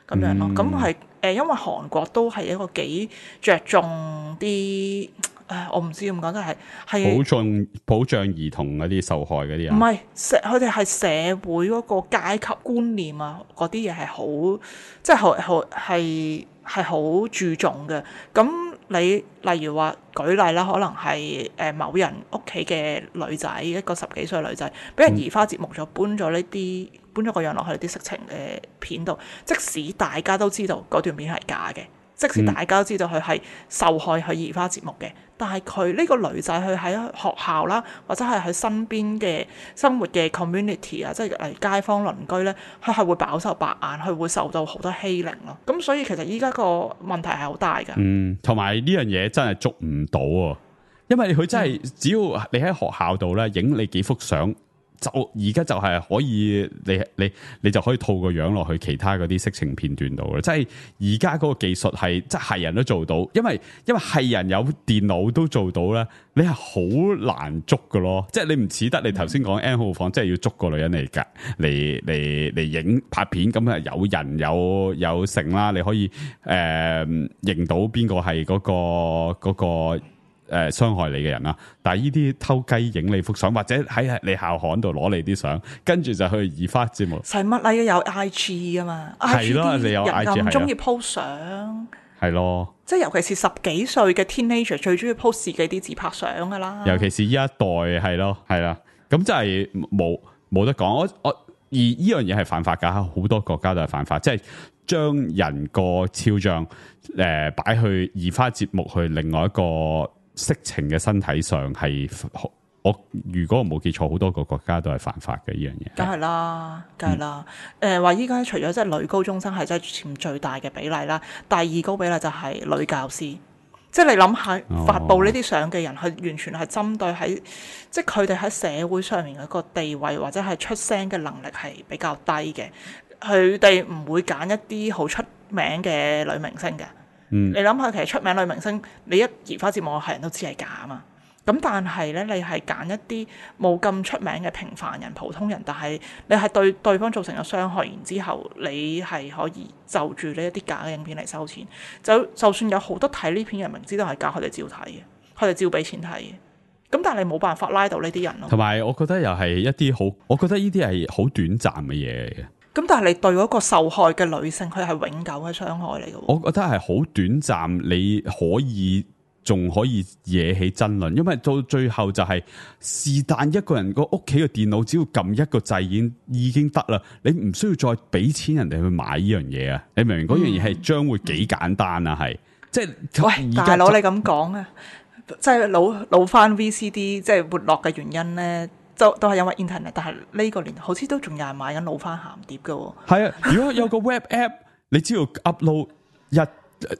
咁樣咯。咁係因為韓國都係一個幾着重啲。我唔知咁講，都係保障兒童嗰啲受害嗰啲啊，唔係佢哋係社會嗰個階級觀念啊，嗰啲嘢係好，即係好注重嘅。咁你例如話舉例啦，可能係某人屋企嘅女仔，一個10幾歲女仔，俾人移花接木咗，搬咗個樣落去啲色情嘅片度，即使大家都知道嗰段片係假嘅。即使大家都知道佢係受害去移花接木嘅，但係佢呢個女仔佢喺學校啦，或者係喺身邊嘅生活嘅 community 啊，即係例如街坊鄰居咧，佢係會飽受白眼，佢會受到好多欺凌咯。咁所以其實依家個問題係好大㗎。同埋呢樣嘢真係捉唔到啊，因為佢真係只要你喺學校度咧影你幾幅相。就而家就係可以，你就可以套個樣落去其他嗰啲色情片段度啦。即係而家嗰個技術係，即係人都做到，因為係人有電腦都做到咧，你係好難捉㗎咯。即係你唔似得你頭先講 N 號房，即係要捉個女人嚟影拍片，咁啊有人有成啦，你可以認到邊個係嗰個。傷害你嘅人啦，但係呢啲偷雞影你幅相，或者喺你校刊度攞你啲相，跟住就去移花接木。使乜啊？有 IG 噶嘛？係咯，你有 IG 人咁中意 post 相，係咯。即係尤其是10幾歲嘅 teenager 最中意 post 自己啲自拍相噶啦。尤其是呢一代係咯，係啦，咁真係冇得講。我而呢樣嘢係犯法噶，好多國家都係犯法，即係將人個肖像擺去移花接木去另外一個色情嘅身體上，係如果我冇記錯，好多個國家都係犯法嘅呢樣嘢。梗係啦，話依家除咗即係女高中生係真係佔最大嘅比例啦，第二高比例就係女教師。即係你諗下，發布呢啲相嘅人，係完全係針對喺即係佢哋喺社會上面嘅一個地位或者係出聲嘅能力係比較低嘅，佢哋唔會揀一啲好出名嘅女明星嘅。你諗下，其實出名女明星，你一移花接木係人都知係假啊嘛。咁但係咧，你係揀一啲冇咁出名嘅平凡人、普通人，但係你係對對方造成咗傷害，然之後你係可以就住呢一啲假嘅影片嚟收錢。就算有好多睇呢片人明知道係假，佢哋照睇嘅，佢哋照俾錢睇嘅。咁但係你冇辦法拉到呢啲人咯。同埋我覺得又係一啲好，我覺得呢啲係好短暫嘅嘢嚟嘅。咁但係你對嗰個受害嘅女性，佢係永久嘅傷害嚟嘅。我覺得係好短暫，你仲可以惹起爭論，因為到最後就係但一個人個屋企嘅電腦，只要撳一個掣已經得啦，你唔需要再俾錢人哋去買呢樣嘢啊！你明唔明？嗰樣嘢係將會幾簡單啊？係即係喂，大佬你咁講啊，即係老翻 VCD 即係沒落嘅原因咧。都係因為 internet， 但係呢個年好似都仲有人買緊老翻鹹碟嘅喎。係啊，如果有個 web app， 你只要 upload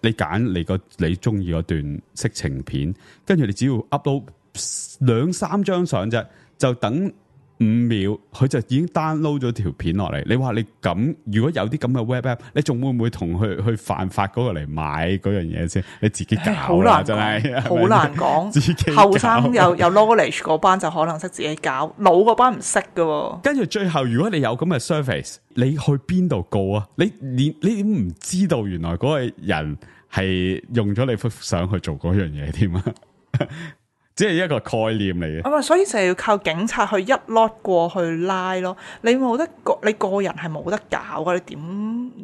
你揀你中意嗰段色情片，跟住你只要 upload 2-3張相啫，就等5秒佢就已經 download 咗條片落嚟。你話你咁，如果有啲咁嘅 web app，你仲會唔會同佢去犯法嗰個嚟買嗰樣嘢先？你自己搞啦，真係好難講。自己後生有 knowledge 嗰班就可能識自己搞，老嗰班唔識噶。跟住最後，如果你有咁嘅 service，你去邊度告啊？你點唔知道原來嗰個人係用咗你幅相去做嗰樣嘢添啊？只係一個概念嚟嘅。所以就係要靠警察去一 lot 過去拉咯。你冇得你個人係冇得搞噶。你點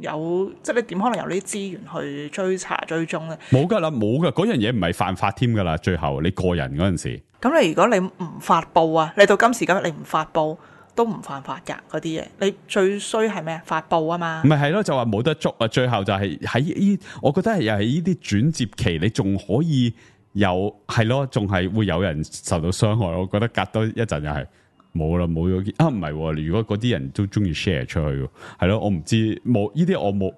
有即係你點可能有呢啲資源去追查追蹤咧？冇噶啦，冇噶，嗰樣嘢唔係犯法添噶啦。最後你個人嗰陣時，咁你如果你唔發布啊，你到今時今日你唔發布都唔犯法㗎嗰啲嘢。你最衰係咩？發布啊嘛。唔係咯，就話冇得捉啊。最後就係喺呢，我覺得係又係呢啲轉接期，你仲可以。有係咯，仲係會有人受到傷害。我覺得隔多一陣又係冇啦，冇咗啊！唔係，如果嗰啲人都中意 share 出去，係咯，我唔知冇呢啲，我冇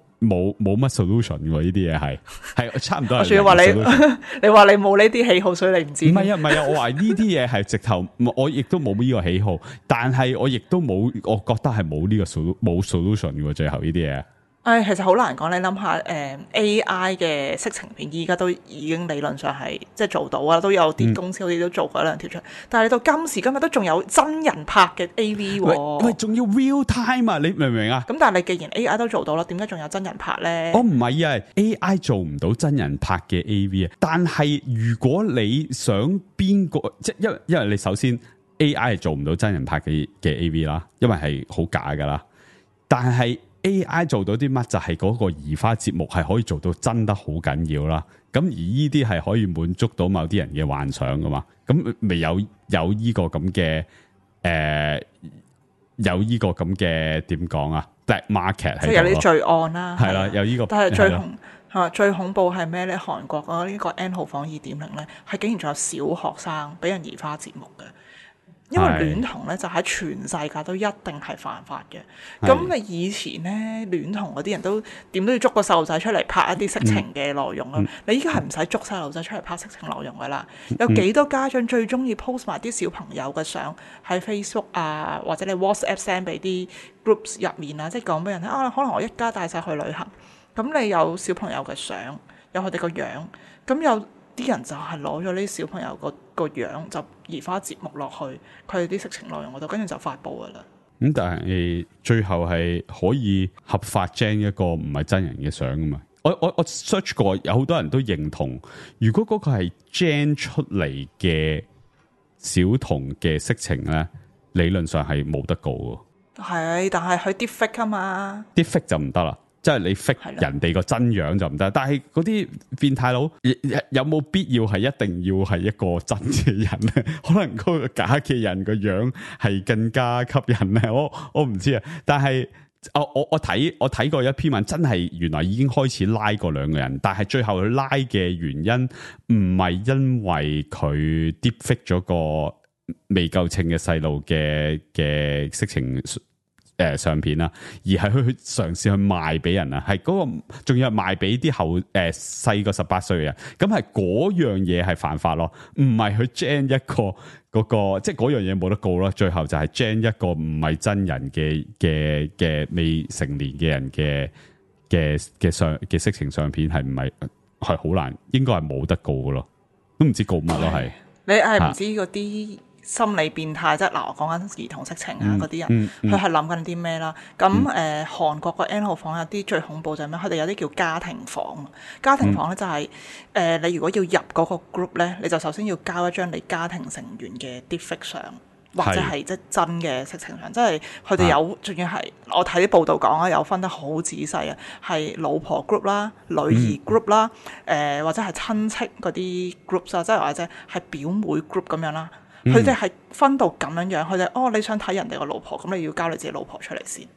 乜 solution 喎。呢啲嘢係差唔多。我仲要話你話你冇呢啲喜好，所以你唔知。唔係啊，我話呢啲嘢係直頭，我亦都冇呢個喜好，但係我亦都冇，我覺得係冇呢個冇 solution 嘅。最後呢啲嘢。其實好難講。你諗下，AI 嘅色情片依家都已經理論上係即係做到啊，都有啲公司好似都做過一兩條出。但係你到今時今日都仲有真人拍嘅 AV 喎。喂，仲要 real time 啊？你明唔明啊？咁但係你既然 AI 都做到啦，點解仲有真人拍咧？我唔係啊 ，AI 做唔到真人拍嘅 AV 啊。但係如果你想邊個，即係因為你首先 AI 係做唔到真人拍嘅 AV 啦，因為係好假噶啦。但係AI 做到啲乜就係嗰個移花節目係可以做到真得好緊要啦，咁而呢啲係可以滿足到某啲人嘅幻想噶嘛，咁咪有呢個咁嘅有呢個咁嘅點講啊 black market 即係有啲罪案啦，係啦，有呢個，但係最恐怖係咩咧？韓國嗰呢個 N 號房 2.0 咧，係竟然仲有小學生俾人移花節目嘅。因為戀童咧就喺全世界都一定係犯法嘅。咁你以前咧戀童嗰啲人都點都要捉個細路仔出嚟拍一啲色情嘅內容啦。你依家係唔使捉細路仔出嚟拍色情內容噶啦。有幾多家長最中意 post 埋啲小朋友嘅相喺 Facebook 啊，或者你 WhatsApp send 俾啲 groups 入面啊，即係講俾人聽啊，可能我一家帶晒去旅行。咁你有小朋友嘅相，有佢哋個樣，咁有啲人就係攞咗呢啲小朋友個樣就移花接木落去佢哋啲色情內容嗰度，跟住就發布噶啦。咁但係最後係可以合法 gen 一個唔係真人嘅相噶嘛？我 search 過，有好多人都認同，如果嗰個係 gen 出嚟嘅小童嘅色情咧，理論上係冇得告嘅。係，但係佢 deepfake 啊嘛，deepfake就唔得啦。即係你 fake 人哋個真樣就唔得，但係嗰啲變態佬有冇必要係一定要係一個真嘅人咧？可能嗰個假嘅人個樣係更加吸引咧。我唔知啊，但係我睇過一篇文，真係原來已經開始拉過兩個人，但係最後佢拉嘅原因唔係因為佢 deepfake 咗個未夠稱嘅細路嘅色情相片啦，而係去嘗試去賣俾人啊，係嗰個仲要係賣俾啲細個18歲嘅人，咁係嗰樣嘢係犯法咯，唔係去 gen 一個嗰個，即係嗰樣嘢冇得告咯。最後就係 gen 一個唔係真人嘅未成年嘅人嘅色情相片，係唔係好難，應該係冇得告嘅咯，都唔知告乜咯。係你係唔知嗰啲心理變態，即係嗱，我講緊兒童色情啊嗰啲人，佢係諗緊啲咩啦？咁韓國個 N 號房有啲最恐怖就係咩？佢哋有啲叫家庭房。家庭房咧就係你如果要入嗰個 group 咧，你就首先要交一張你家庭成員嘅 deepfake 相，或者係即係真嘅色情相。即係佢哋有，仲要係我睇啲報道講啊，有分得好仔細啊，係老婆 group 啦、女兒 group 啦，或者係親戚嗰啲 group 啊，即係或者係表妹 group 咁樣啦。佢哋係分到咁樣樣，佢哋你想睇人哋個老婆，咁你要交你自己老婆出嚟先，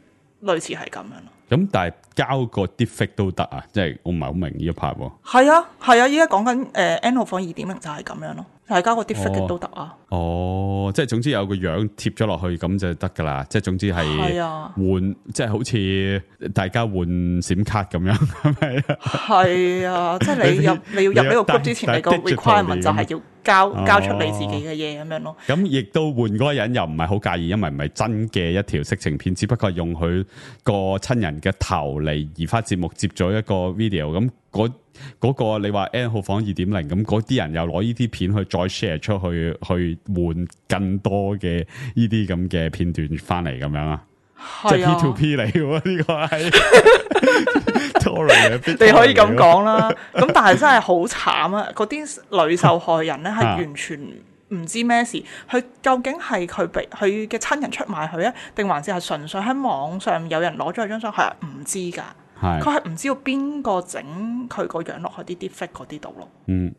類似係咁樣咯。咁但係交個 deepfake 都得啊，即係我唔係好明呢一 part 喎。係啊，依家講緊N 號房 2.0 就係咁樣咯，係交個 deepfake 都得啊。即係總之有個樣貼咗落去咁就得噶啦，即係總之係換，即係好似大家換閃卡咁樣，係咪啊？係啊，即係你要入呢個 group 之前，你個 requirement 就係要交出你自己嘅嘢咁樣咯。咁亦都換嗰個人又唔係好介意，因為唔係真嘅一條色情片，只不過用佢個親人嘅頭嚟移花節目接咗一個 video。咁嗰個你話 N 號房 2.0， 咁嗰啲人又攞呢啲片去再 share 出去，去換更多嘅呢啲咁嘅片段翻嚟咁樣啊。即係 P2P 嚟喎，呢個係你可以咁講啦。咁但係真係好慘啊！嗰啲女受害人咧係完全唔知咩事，佢究竟係佢嘅親人出賣佢啊，定還是係純粹喺網上有人攞咗佢張相，佢係唔知㗎。佢係唔知道邊個整佢個樣落去啲 deepfake 嗰啲度咯。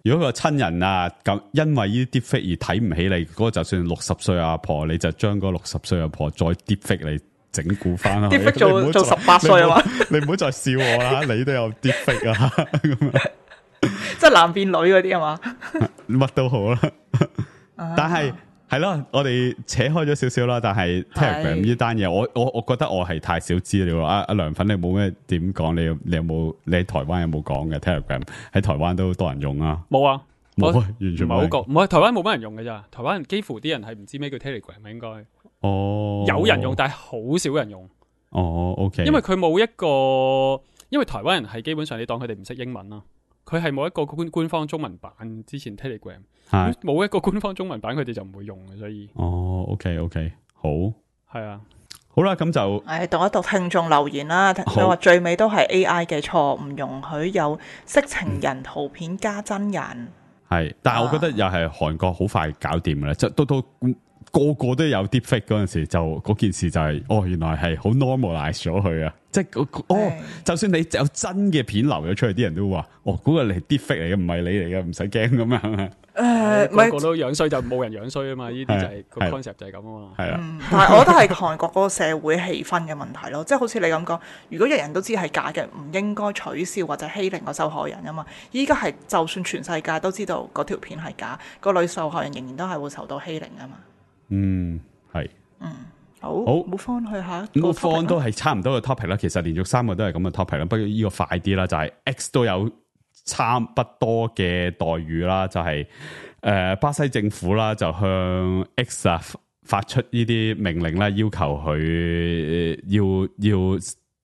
如果個親人啊咁因為呢啲 deepfake 而睇唔起你，嗰個就算60歲阿婆，你就將嗰60歲阿婆再 deepfake你。整蠱翻啦！ deepfake 做18歲啊嘛！你唔好再笑我啦！你都有 deepfake 啊！咁啊，即係男變女嗰啲啊嘛？乜都好啦。但係係咯，我哋扯開咗少少啦。但係 Telegram 呢單嘢，我覺得我係太少資料啦。阿梁粉，你冇咩點講？你有冇？你喺台灣有冇講嘅 Telegram？喺台灣都多人用啊？冇啊，冇啊，完全冇。唔係台灣冇乜人用嘅咋？台灣人幾乎啲人係唔知咩叫 Telegram 應該。有人用，但係好少人用。OK。因為佢冇一個，因為台灣人係基本上你當佢哋唔識英文啦，佢係冇一個官方中文版。之前 Telegram 冇一個官方中文版，佢哋就唔會用嘅，所以。OK， 好。係啊，好啦，咁就讀一讀聽眾留言啦。佢話最尾都係 AI 嘅錯，唔容許有色情人圖片加真人。係，但係我覺得又係韓國好快搞掂嘅啦，即係都。個個都有 deepfake 嗰陣時，就嗰件事就係、原來係好 normalize 咗佢啊！即係就算你有真嘅片流咗出去，啲人都話嗰個係 deepfake 嚟嘅，唔係你嚟嘅，唔使驚咁樣。個個都樣衰就冇人樣衰啊嘛！呢啲就係個 concept 就係咁啊嘛。係啊，但係我覺得係韓國嗰個社會氣氛嘅問題咯，即係好似你咁講，如果人人都知係假嘅，唔應該取笑或者欺凌個受害人啊嘛。依家係就算全世界都知道嗰條片係假，個女受害人仍然都係會受到欺凌啊嘛。係，好，move on去下一個 topic 都係差唔多嘅 topic 啦。其實連續3個都係咁嘅 topic 啦，不過呢個快啲啦，就係 X 都有差不多嘅待遇啦，就係巴西政府啦，就向 X 發出呢啲命令啦，要求佢要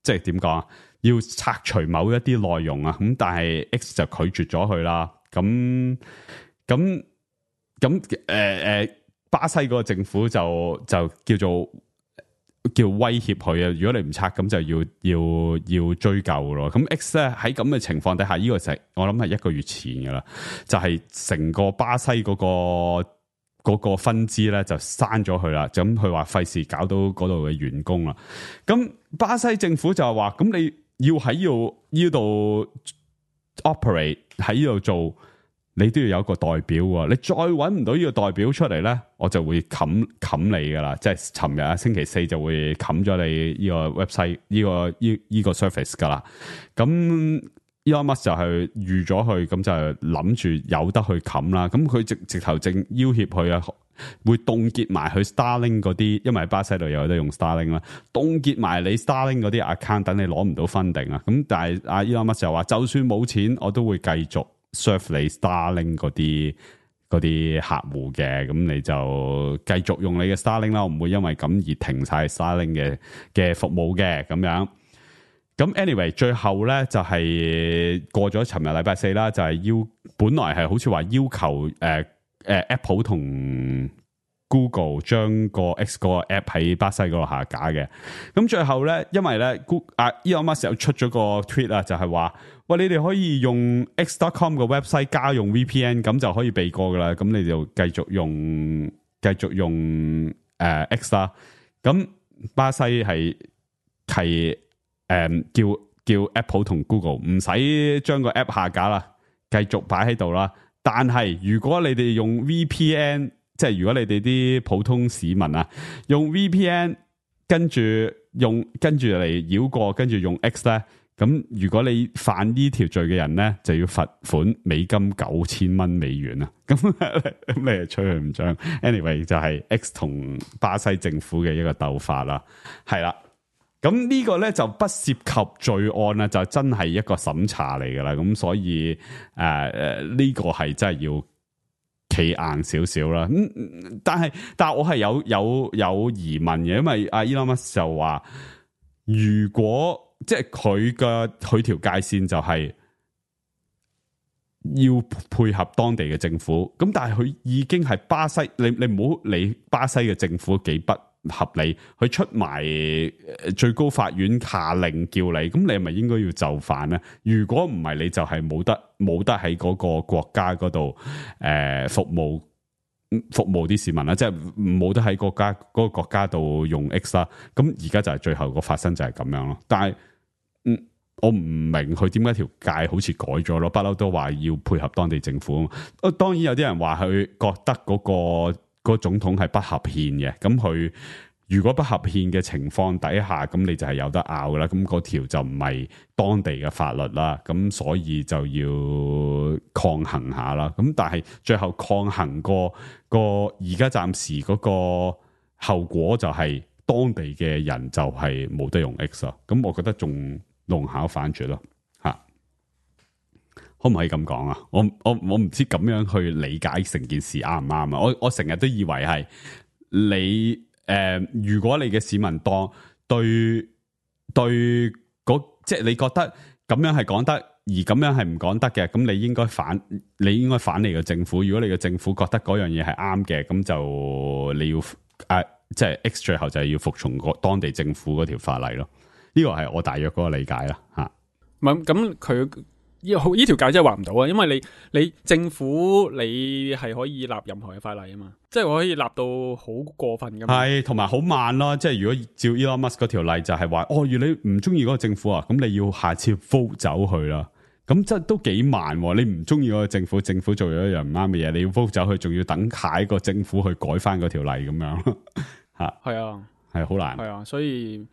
即係點講啊，要拆除某一啲內容啊，咁但係 X 就拒絕咗佢啦，咁巴西嗰個政府就叫威脅佢啊！如果你唔拆，咁就要追究咯。咁 X 咧喺咁嘅情況底下，呢個就係我諗係1個月前噶啦，就係成個巴西嗰個分支咧就刪咗佢啦。咁佢話費事搞到嗰度嘅員工啦。咁巴西政府就話：咁你要喺呢度 operate 喺呢度做。你都要有一個代表喎，你再搵唔到呢個代表出嚟咧，我就會冚你噶啦，即係尋日啊星期4就會冚咗你呢個 website 呢個 service 噶啦。咁 Elon Musk 就係預咗佢，咁就諗住有得去冚啦。咁佢直頭正要挾佢啊，會凍結埋佢 Starlink 嗰啲，因為喺巴西度有得用 Starlink 啦，凍結埋你 Starlink 嗰啲 account，等你攞唔到 funding 啊。咁但係阿 Elon Musk 就話，就算冇錢，我都會繼續serve 你 Starlink 嗰啲客戶嘅，咁你就繼續用你嘅 Starlink 啦，我唔會因為咁而停晒 Starlink 嘅服務嘅咁樣。咁 anyway 最後咧就係過咗尋日禮拜4啦，就係本來係好似話要求Apple 同 Google 將個 X 嗰個 app 喺巴西嗰度下架嘅。咁最後咧，因為咧Elon Musk 又出咗個 tweet 啊，就係話，喂，你哋可以用 X.com 個 website 加用 VPN，咁就可以避過噶啦。咁你就繼續用X 啦。咁巴西係叫 Apple 同 Google 唔使將個 app 下架啦，繼續擺喺度啦。但係如果你哋用 VPN， 即係如果你哋啲普通市民啊，用 VPN 跟住嚟繞過，跟住用 X 咧，咁如果你犯呢條罪嘅人咧，就要罰款美金$9,000啊！咁你係吹佢唔漲。anyway 就係 X 同巴西政府嘅一個鬥法啦，係啦。咁呢個咧就不涉及罪案啦，就真係一個審查嚟噶啦。咁所以呢個係真係要企硬少少啦。但係我係有疑問嘅，因為阿 Elon Musk 就話，如果即係佢條界線就係要配合當地嘅政府，咁但係佢已經係巴西，你唔好理巴西嘅政府幾不合理，佢出埋最高法院下令叫你，咁你係咪應該要就範咧？如果唔係，你就係冇得喺嗰個國家嗰度服務啲市民啦，即係冇得喺嗰個國家度用 X 啦。咁而家就係最後個發生就係咁樣咯。但係我唔明佢點解條界好似改咗咯，不嬲都話要配合當地政府。當然有啲人話佢覺得嗰個總統係不合憲嘅，咁佢如果不合憲嘅情況底下，咁你就係有得拗噶啦。咁嗰條就唔係當地嘅法律啦，咁所以就要抗衡下啦。咁但係最後抗衡個而家暫時嗰個後果就係當地嘅人就係冇得用 X 啦。咁我覺得仲弄巧反拙咯，吓，可唔可以咁講啊？我唔知咁樣去理解成件事啱唔啱啊？我成日都以為係你如果你嘅市民當對即係你覺得咁樣係講得，而咁樣係唔講得嘅，咁你應該反你嘅政府。如果你嘅政府覺得嗰樣嘢係啱嘅，咁就你要即係 X 最後就係要服從當地政府嗰條法例咯。呢個係我大約嗰個理解啦，吓。唔係咁佢呢條界真係話唔到啊，因為你政府你係可以立任何嘅法例啊嘛，即係可以立到好過分噶嘛。係，同埋好慢咯。即係如果照 Elon Musk 嗰條例就係話，如果你唔中意嗰個政府啊，咁你要下次 vote 走去啦。咁即係都幾慢。你唔中意嗰個政府做咗一樣唔啱嘅嘢，你要 vote 走去，仲要等下一個政府去改翻嗰條例咁樣。吓，係啊，係好難。係啊，所以。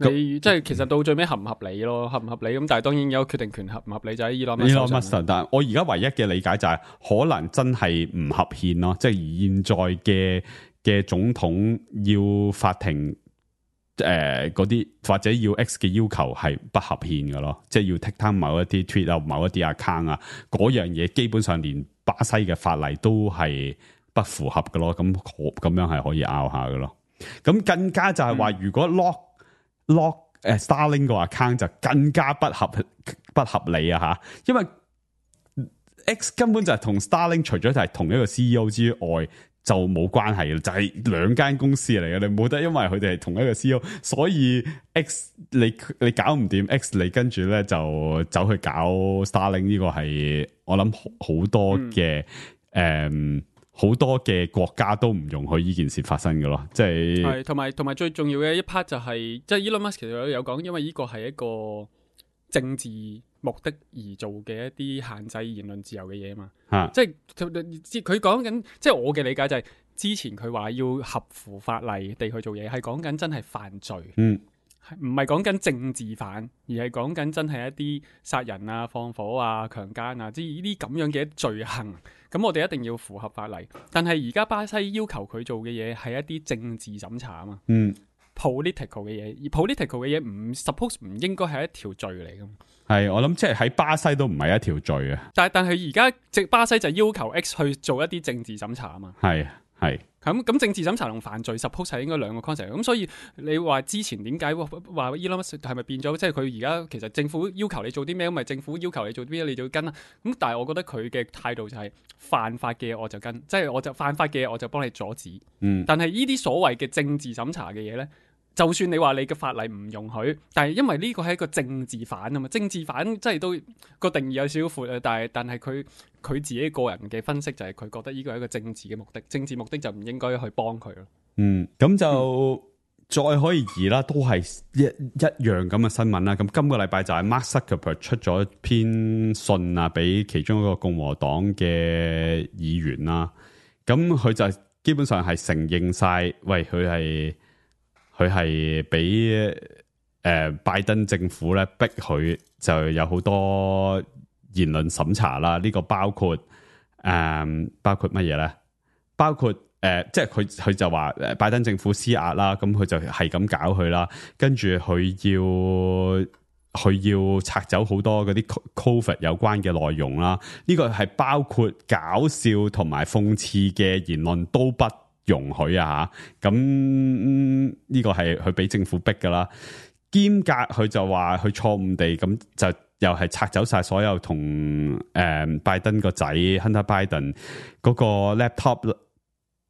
你即係其實到最尾合唔合理咯，合唔合理咁，但係當然有決定權合唔合理就喺 Elon Musk。但係我而家唯一嘅理解就係可能真係唔合憲咯，即係現在嘅總統要法庭嗰啲或者要 X 嘅要求係不合憲嘅咯，即係要 take down 某一啲 tweet 啊、某一啲 account 啊，嗰樣嘢基本上連巴西嘅法例都係不符合嘅咯，咁樣係可以拗下嘅咯。咁更加就係話如果 lock Starlink 個 account 就更加不合理啊吓，因為 X 根本就係同 Starlink 除咗係同一個 CEO 之外就冇關係嘅，就係兩間公司嚟嘅，你冇得因為佢哋係同一個 CEO， 所以 X 你搞唔掂 X， 你跟住咧就走去搞 Starlink， 呢個係我諗好多嘅好多嘅國家都唔容許呢件事發生嘅咯，即係同埋最重要嘅一 part 就係，即係 Elon Musk 其實有講，因為呢個係一個政治目的而做嘅一啲限制言論自由嘅嘢嘛，即係佢講緊，即係我嘅理解就係，之前佢話要合乎法例地去做嘢，係講緊真係犯罪，唔係講緊政治犯，而係講緊真係一啲殺人啊、放火啊、強姦啊，即係呢啲咁樣嘅罪行。咁我哋一定要符合法例。但係而家巴西要求佢做嘅嘢係一啲政治審查啊嘛，political 嘅嘢，而 political 嘅嘢唔 suppose 唔應該係一條罪嚟㗎。係，我諗即係喺巴西都唔係一條罪啊。但係而家巴西就要求 X 去做一啲政治審查啊嘛。係。咁政治審查同犯罪 suppose 係應該兩個 concept， 咁所以你話之前點解話 Elon Musk 係咪變咗？即係佢而家其實政府要求你做啲咩，咁咪政府要求你做啲咩，你就要跟啦。咁但係我覺得佢嘅態度就係犯法嘅我就跟，即係我就犯法嘅我就幫你阻止。但係呢啲所謂嘅政治審查嘅嘢咧，就算你話你嘅法例唔容許，但係因為呢個係一個政治犯啊嘛，政治犯即係都個定義有少少闊啊，但係佢自己個人嘅分析就係佢覺得呢個係一個政治嘅目的，政治目的就唔應該去幫佢咯。咁就再可以移啦，都係一樣咁嘅新聞啦。咁今個禮拜就係 Mark Zuckerberg 出咗篇信啊，俾其中一個共和黨嘅議員啦。咁佢就基本上係承認晒，喂，佢係俾拜登政府咧逼佢，就有好多言論審查啦。呢個包括乜嘢咧？包括即係佢就話拜登政府施壓啦，咁佢就係咁搞佢啦。跟住佢佢要拆走好多嗰啲 COVID 有關嘅內容啦，呢個係包括搞笑同埋諷刺嘅言論都不容許啊！咁呢個係佢俾政府逼噶啦，兼夾佢就話佢錯誤地咁就又係拆走晒所有同拜登個仔 Hunter Biden 嗰個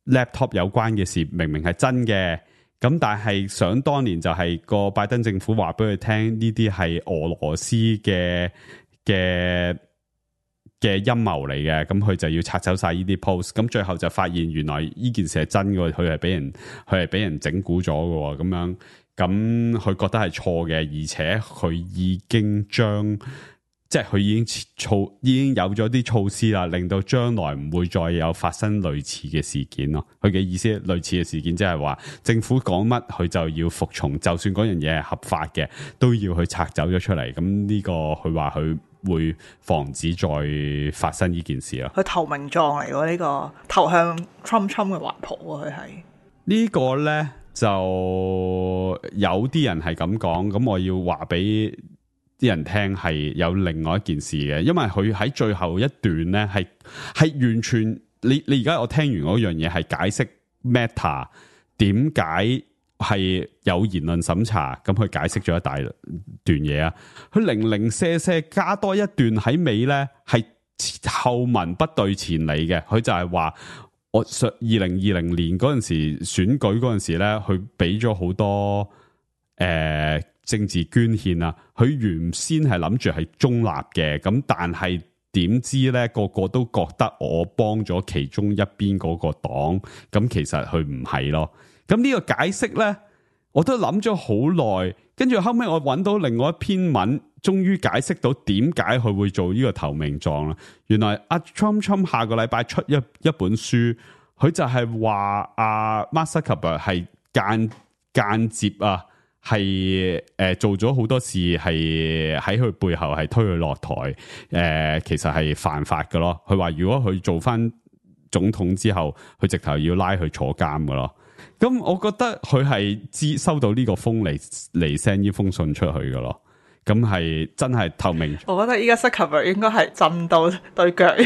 laptop 有關嘅事，明明係真嘅。咁但係想當年就係個拜登政府話俾佢聽，呢啲係俄羅斯嘅陰謀嚟嘅，咁佢就要拆走晒呢啲 post。咁最後就發現原來呢件事係真嘅，佢係俾人整蠱咗嘅，咁樣咁佢覺得係錯嘅，而且佢已經佢已經有咗啲措施啦，令到將來唔會再有發生類似嘅事件咯。佢嘅意思類似嘅事件即係話政府講乜佢就要服從，就算嗰樣嘢係合法嘅，都要去拆走咗出嚟。咁呢個佢話佢會防止再發生呢件事咯。佢投名狀嚟喎，呢個投向 Trump 嘅懷抱啊！佢係呢個呢，就有啲人係咁講，咁我要話俾啲人聽係有另外一件事嘅，因為佢喺最後一段咧係完全你而家我聽完嗰樣嘢係解釋 Meta 點解係有言論審查，咁佢解釋咗一大段嘢啊，佢零零舍舍加多一段喺尾咧係後文不對前理嘅，佢就係話我2020年嗰陣時選舉嗰陣時咧，佢俾咗好多政治捐獻啊，佢原先係諗住係中立嘅，咁但係點知咧個個都覺得我幫咗其中一邊嗰個黨，咁其實佢唔係咯。咁呢個解釋咧，我都諗咗好耐，跟住後尾我揾到另外一篇文，終於解釋到點解佢會做呢個投名狀啦。原來阿 Trump 下個禮拜出一本書，佢就係話阿 Mark Zuckerberg 係間接啊。係做咗好多事，係喺佢背後係推佢落台，其實係犯法㗎咯。佢話如果佢做翻總統之後，佢直頭要拉佢坐監㗎咯。咁我覺得佢係收到呢個風嚟 send 呢封信出去㗎咯。咁係真係透明。我覺得依家 Zuckerberg 應該係震到對腳企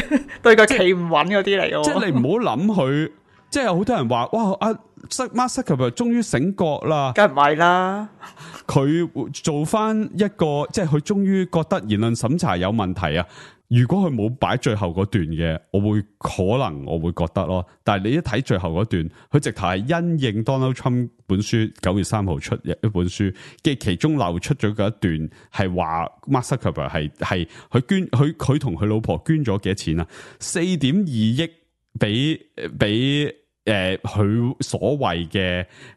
唔穩嗰啲嚟嘅。即係你唔好諗佢。即係有好多人話，哇！阿 Mark Zuckerberg 終於醒覺啦，梗唔係啦。佢做翻一個，即係佢終於覺得言論審查有問題啊！如果佢冇擺最後嗰段嘅，我會覺得咯。但係你一睇最後嗰段，佢直頭係因應 Donald Trump 本書9月3號出一本書嘅其中漏出咗嗰一段，係話 Mark Zuckerberg 係佢同佢老婆捐咗幾多錢啊？4.2億俾佢所謂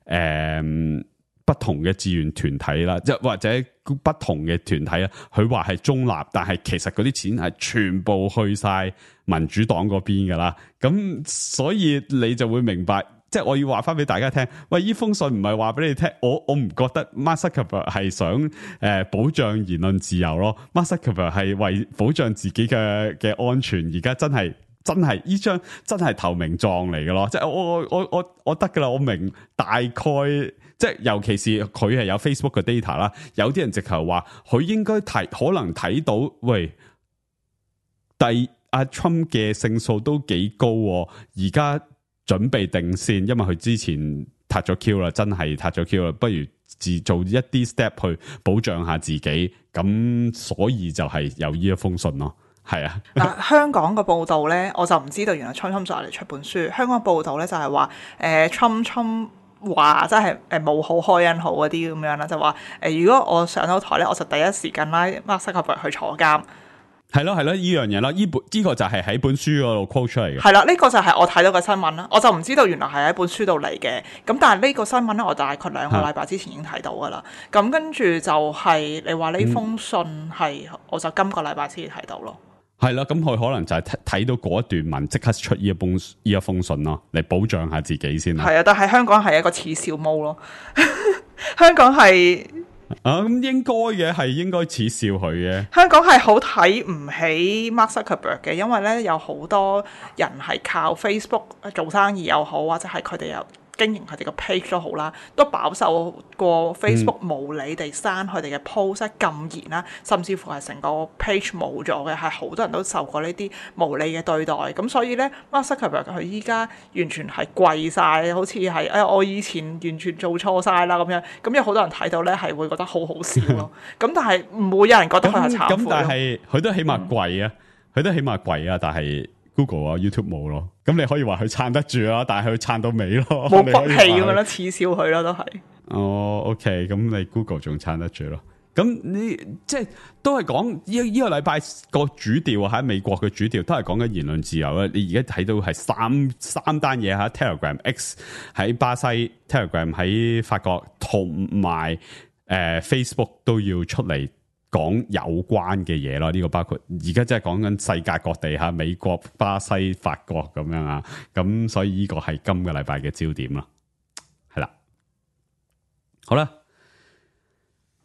嘅不同嘅志願團體啦，即或者不同嘅團體啦，佢話係中立，但係其實嗰啲錢係全部去晒民主黨嗰邊噶啦。咁所以你就會明白，即係我要話翻俾大家聽，喂，呢封信唔係話俾你聽，我唔覺得 Mark Zuckerberg 係想保障言論自由咯。Mark Zuckerberg 係為保障自己嘅安全，而家真係呢張真係投名狀嚟嘅咯，即係我得噶啦，我明大概，即係尤其是佢係有 Facebook 嘅 data 啦，有啲人直頭話佢應該可能睇到，喂，阿 Trump 嘅勝數都幾高，而家準備定先，因為佢之前撻咗 Q 啦，真係撻咗 Q 啦，不如做一啲 step 去保障下自己，咁所以就係有呢一封信咯。係啊，嗱，香港嘅報道咧，我就唔知道原來 Trump 就嚟出本書。香港報道咧就係話，Trump 話真係冇好開恩好嗰啲咁樣啦，就話如果我上到台咧，我就第一時間拉 Mark Zuckerberg 去坐監。係咯，呢樣嘢啦，呢個就係喺本書嗰度 quote 出嚟嘅。係啦，呢個就係我睇到嘅新聞啦，我就唔知道原來係喺本書度嚟嘅。咁但係呢個新聞咧，我大概2個禮拜之前已經睇到噶啦。咁跟住就係你話呢封信係，我就今個禮拜先至睇到咯。係啦，咁佢可能就係睇到嗰一段文，即刻出呢一封信咯，嚟保障下自己先啦。係啊，但係香港係一個恥笑毛咯，香港係咁應該嘅，係應該恥笑佢嘅。香港係好睇唔起 Mark Zuckerberg 嘅，因為咧有好多人係靠 Facebook 做生意又好，或者係佢哋有經營佢哋個 page 都好啦，都飽受過 Facebook 無理地刪佢哋嘅 post 禁言啦，甚至乎係成個 page 冇咗嘅，係好多人都受過呢啲無理嘅對待。咁所以咧 Mark Zuckerberg 佢依家完全係跪晒，好似係我以前完全做錯晒啦咁樣。咁有好多人睇到咧係會覺得好好笑咯。咁但係唔會有人覺得佢係懺悔。咁但係佢都起碼跪啊，佢都起碼跪啊，但係 Google 啊 YouTube 冇咯。咁你可以話佢撐得住啦，但係佢撐到尾咯，冇骨氣咁樣咯，恥笑佢咯都係。哦 ，OK， 咁你 Google 仲撐得住咯？咁你即係都係講呢個禮拜個主調喺美國嘅主調都係講緊言論自由啦。你而家睇到係三單嘢吓 ，Telegram X 喺巴西 ，Telegram 喺法國，同埋Facebook 都要出嚟講有關嘅嘢咯。呢個包括而家即係講緊世界各地吓，美國、巴西、法國咁樣啊。咁所以呢個係今個禮拜嘅焦點啦。係啦，好啦。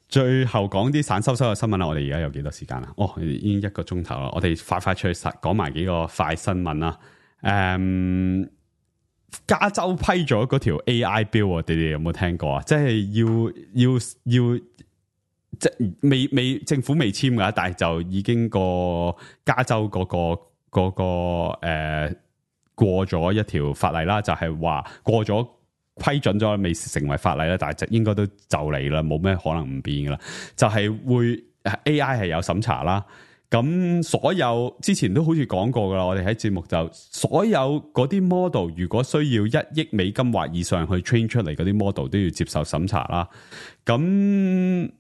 最後講啲散收收嘅新聞啦，我哋而家有幾多時間啊？已經1個鐘頭啦，我哋快出去講埋幾個快新聞啦。加州批咗嗰條 AI bill，你哋有冇聽過啊？即係要即係未政府未簽噶，但係就已經個加州嗰個過咗一條法例啦，就係話過咗。批准咗未成為法例啦，但係就應該都就嚟啦，冇咩可能唔變噶啦。就係會 AI 係有審查啦。咁所有之前都好似講過噶啦，我哋喺節目就所有嗰啲 model 如果需要1億美金或以上去 train 出嚟嗰啲 model 都要接受審查啦。咁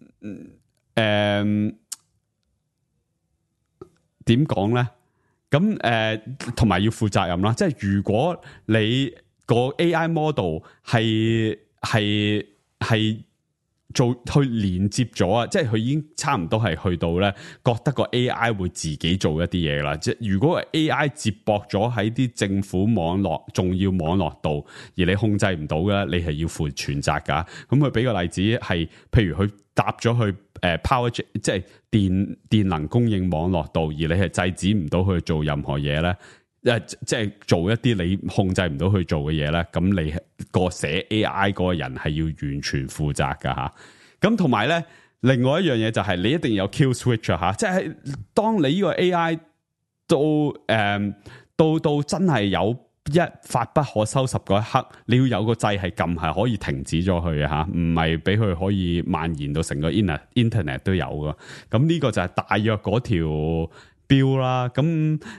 點講咧？咁同埋要負責任啦。即係如果你個 AI model 係做去連接咗啊，即係佢已經差唔多係去到咧，覺得個 AI 會自己做一啲嘢啦。即係如果 AI 接駁咗喺啲政府網絡、重要網絡度，而你控制唔到嘅，你係要負全責噶。咁佢俾個例子係，譬如佢搭咗去power 即係電能供應網絡度，而你係制止唔到佢做任何嘢咧。即係做一啲你控制唔到去做嘅嘢咧，咁你個寫 AI 嗰個人係要完全負責噶吓。咁同埋咧，另外一樣嘢就係你一定有 kill switch 吓，即係當你呢個 AI 到真係有一發不可收拾嗰一刻，你要有個掣係撳係可以停止咗佢嘅吓，唔係俾佢可以蔓延到成個 internet 都有噶。咁呢個就係大約嗰條標啦，咁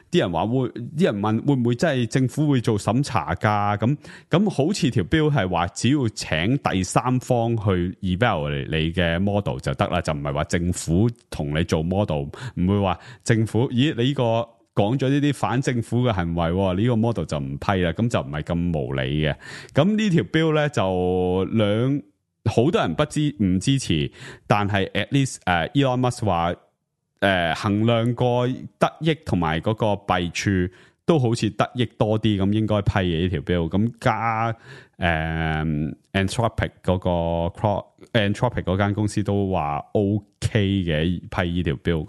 啲人話啲人問會唔會真係政府會做審查噶？咁好似條標係話，只要請第三方去 evaluate 你嘅 model 就得啦，就唔係話政府同你做 model， 唔會話政府，咦你呢個講咗呢啲反政府嘅行為，呢個 model 就唔批啦，咁就唔係咁無理嘅。咁呢條標咧就好多人唔支持，但係 at least Elon Musk 話。衡量過得益同埋嗰個弊處，都好似得益多啲，咁應該批嘅呢條 bill。咁加Anthropic 嗰個 Anthropic 嗰間公司都話 OK 嘅批呢條 bill。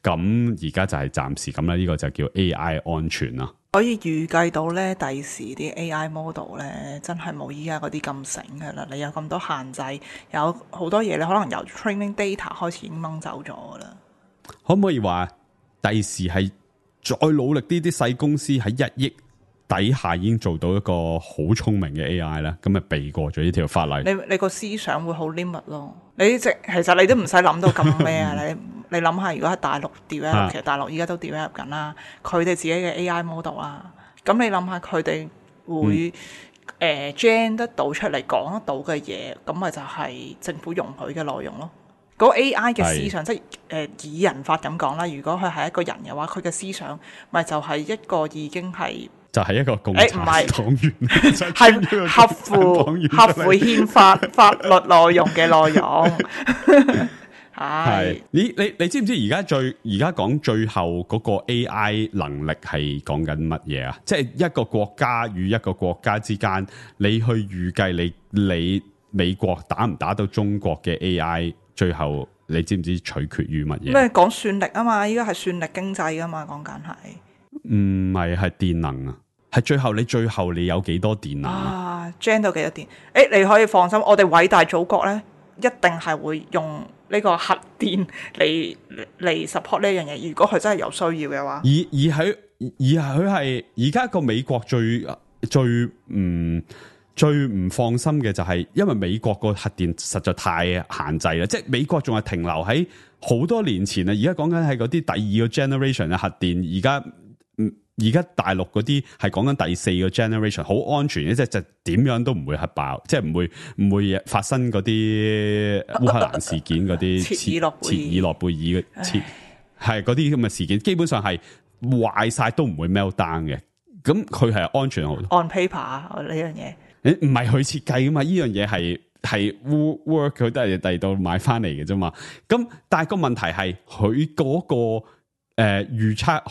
咁而家就係暫時咁啦，呢個就叫 AI 安全啦。可以預計到咧，第時啲 AI model 咧，真係冇依家嗰啲咁醒嘅啦。你有咁多限制，有好多嘢咧，可能由 training data 開始已經掹走咗噶啦。可唔可以話第時係再努力啲細公司喺1億底下已經做到一個好聰明嘅 AI 咧？咁咪避過咗呢條法例？你個思想會好 limit 咯。其實你都唔使諗到咁咩啊？你諗下，如果喺大陸 develop，其實大陸依家都 develop 緊啦，佢哋自己嘅 AI model 啦。咁你諗下，佢哋會gen 得到出嚟講得到嘅嘢，咁咪就係政府容許嘅內容咯。嗰個 AI 嘅思想，即係擬人法咁講啦。如果佢係一個人嘅話，佢嘅思想咪就係一個已經係就係一個共產黨員，係合乎憲法法律內容嘅內容。係你知唔知而家講最後嗰個 AI 能力係講緊乜嘢啊？即係一個國家與一個國家之間，你去預計你美國打唔打到中國嘅 AI？最後你知唔知取決於乜嘢？咩講算力啊嘛？依家係算力經濟啊嘛，講緊係唔係電能啊？係最後你有幾多電能啊 ，gen 到幾多電？你可以放心，我哋偉大祖國咧，一定係會用呢個核電嚟 support 呢樣嘢。如果佢真係有需要嘅話，佢係而家個美國最唔放心嘅就係，因為美國個核電實在太限制啦，即係美國仲係停留喺好多年前啊，而家講緊係嗰啲第二個 generation 嘅核電，而家大陸嗰啲係講緊第四個 generation， 好安全嘅，即係就點樣都唔會核爆，即係唔會發生嗰啲烏克蘭事件嗰啲切爾諾貝爾係嗰啲咁嘅事件，基本上係壞晒都唔會 melt down 嘅，咁佢係安全好多。On paper 呢樣嘢。唔係佢設計噶嘛？呢樣嘢係 work， 佢都係第二度買翻嚟嘅啫嘛。咁但係個問題係佢嗰個預測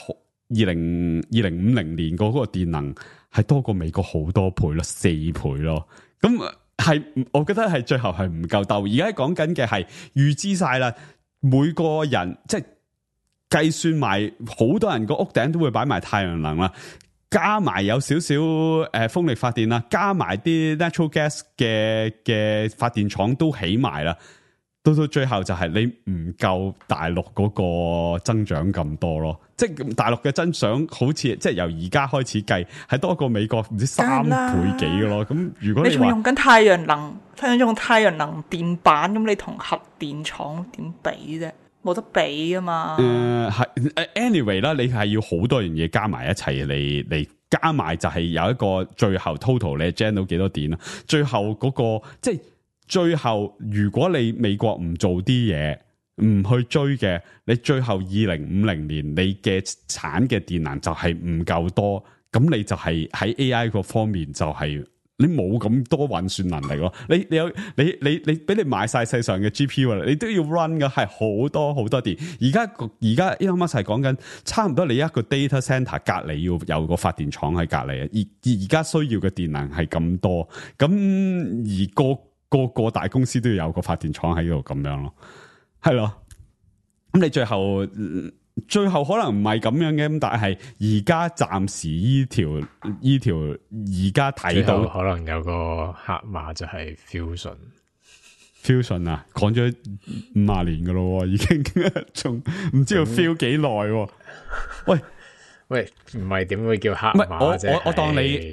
2050年嗰個電能係多過美國好多倍咯，4倍咯。咁係我覺得係最後係唔夠鬥。而家講緊嘅係預知晒啦，每個人即係計算埋好多人個屋頂都會擺埋太陽能啦。加埋有少少風力發電啦，加埋啲 natural gas 嘅發電廠都起埋啦，到最後就係你唔夠大陸嗰個增長咁多咯，即係大陸嘅增長好似即係由而家開始計係多過美國唔知3倍幾嘅咯。咁如果你仲用緊太陽能，用太陽能電板，咁你同核電廠點比啫？冇得比啊嘛。anyway 啦，你係要好多樣嘢加埋一齊嚟加埋，就係有一個最後 total 你 gen 到幾多電啦。最後嗰個即係最後，如果你美國唔做啲嘢，唔去追嘅，你最後2050年你嘅產嘅電能就係唔夠多，咁你就係喺 AI 個方面就係。你冇咁多運算能力咯，你俾你買晒世上嘅 GPU 你都要 run 嘅係好多好多電。而家 Elon Musk 係講緊差唔多你一個 data center 隔離要有個發電廠喺隔離啊，而家需要嘅電能係咁多，咁而個大公司都要有個發電廠喺度咁樣咯，係咯。咁你最後可能唔係咁樣嘅，咁但係而家暫時依條而家睇到可能有個黑馬就係 fusion 啊，講咗50年噶咯，已經仲唔知道 feel 幾耐？喂，唔係點會叫黑馬啫？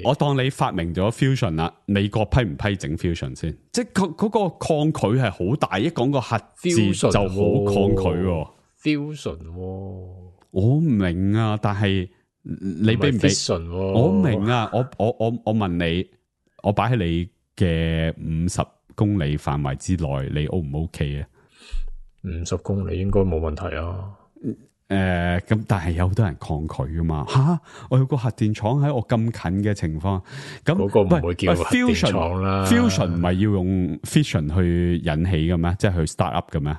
我當你發明咗 fusion 啦，美國批唔批整 fusion 先？即係嗰個抗拒係好大，一講個核字就好抗拒。fusion 我唔明啊，但係你俾唔俾？我明啊，我問你，我擺喺你嘅50公里範圍之內，你 O 唔 OK 啊？50公里應該冇問題啊。咁但係有好多人抗拒噶嘛？吓，我有個核電廠喺我咁近嘅情況，咁嗰個唔會叫核電廠啦。fusion 唔係要用 fission 去引起嘅咩？即係去 start up 嘅咩？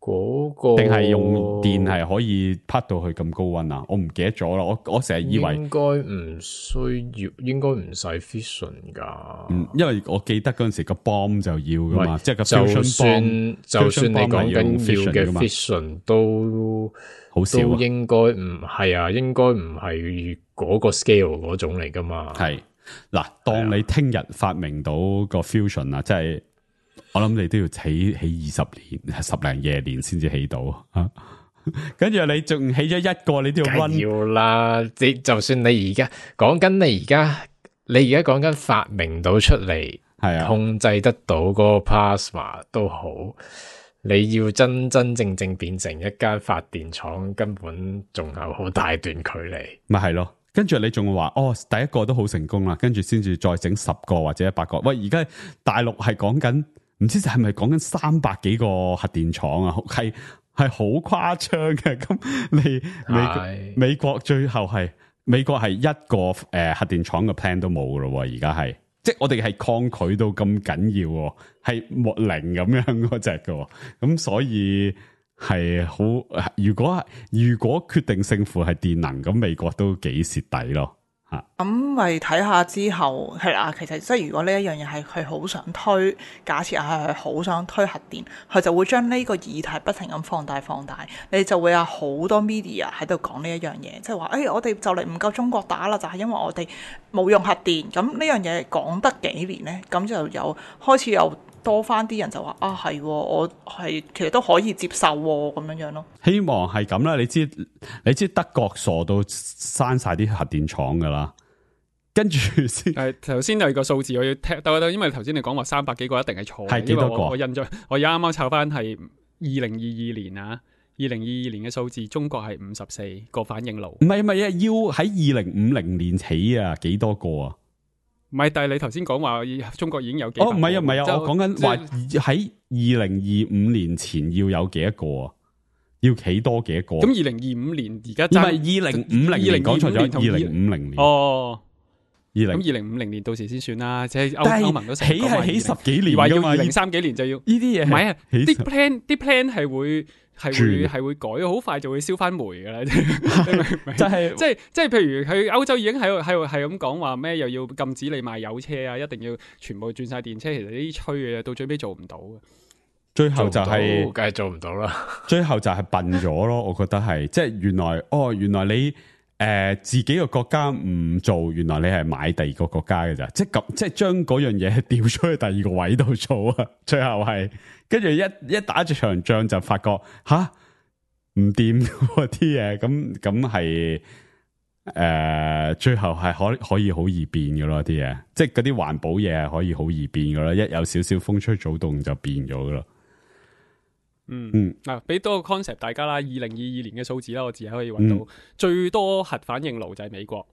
嗰個定係用電係可以拍到去咁高溫啊？我唔記得咗啦。我成日以為應該唔需要，應該唔使 fission 噶。因為我記得嗰陣時個 bomb 就要噶嘛，即係個 fusion bomb，就算你講緊要嘅 fission 都好少，都應該唔係啊，應該唔係嗰個 scale 嗰種嚟噶嘛。係嗱，當你聽日發明到個 fusion 啊，即係。我諗你都要起20年，10零20年先至起到啊！跟住你仲起咗一個，你都要 run 要啦。就算你而家講緊，你而家講緊發明到出嚟，係啊，控制得到嗰個 plasma 都好，你要真正變成一間發電廠，根本仲有好大段距離。咪係咯。跟住你仲話第一個都好成功啦，跟住先至再整10個或者100個。喂，而家大陸係講緊。唔知係咪講緊300幾個核電廠啊？係好誇張嘅。咁美國最後係美國係一個核電廠嘅 plan 都冇噶咯。而家係即係我哋係抗拒到咁緊要，係冇零咁樣嗰隻嘅。咁所以係好。如果決定勝負係電能，咁美國都幾蝕底咯。咁咪睇下之後係啦，其實即係如果呢一樣嘢係佢好想推，假設係佢好想推核電，佢就會將呢個議題不停咁放大，你就會有好多 media 喺度講呢一樣嘢，即係話我哋就嚟唔夠中國打啦，就係因為我哋冇用核電。咁呢樣嘢講得幾年呢？咁就有開始有多翻啲人就話係，我係其實都可以接受咁樣咯。希望係咁啦，你知德國傻到閂晒啲核電廠噶啦。跟住先，頭先有個數字我要聽，因為頭先你講話300幾個一定係錯，係幾多個？我印象，我而家啱啱抄翻係2022年啊，2022年嘅數字，中國係54個反應爐。唔係啊，要喺2050年起啊，幾多個啊？唔係，但係你頭先講話中國已經有幾個？唔係啊，我講緊話喺2025年前要有幾多個啊？要起多幾多個？咁2025年而家唔係2050年，講錯咗2050年。哦。咁2050年到時先算啦，即係歐盟都成起係起10幾年，話要2030幾年就要呢啲嘢。唔係啊，啲 plan 係會改，好快就會燒翻煤噶啦。就係即係譬如佢歐洲已經係咁講話咩，又要禁止你賣油車啊，一定要全部轉晒電車。其實呢啲吹嘅，到最尾做唔到嘅。最後就係梗係做唔到啦。最後就係笨咗咯，我覺得係即係原來你。自己個國家唔做，原來你係買第二個國家嘅咋，即係將嗰樣嘢調出去第二個位度做啊！最後係跟住一打住場仗就發覺唔掂嗰啲嘢，咁係最後係可以好易變嘅咯，啲嘢即係嗰啲環保嘢係可以好易變嘅咯，一有少少風吹草動就變咗嘅咯。俾多個 concept 大家啦，2022年嘅數字啦，我自己可以揾到最多核反應爐就係美國，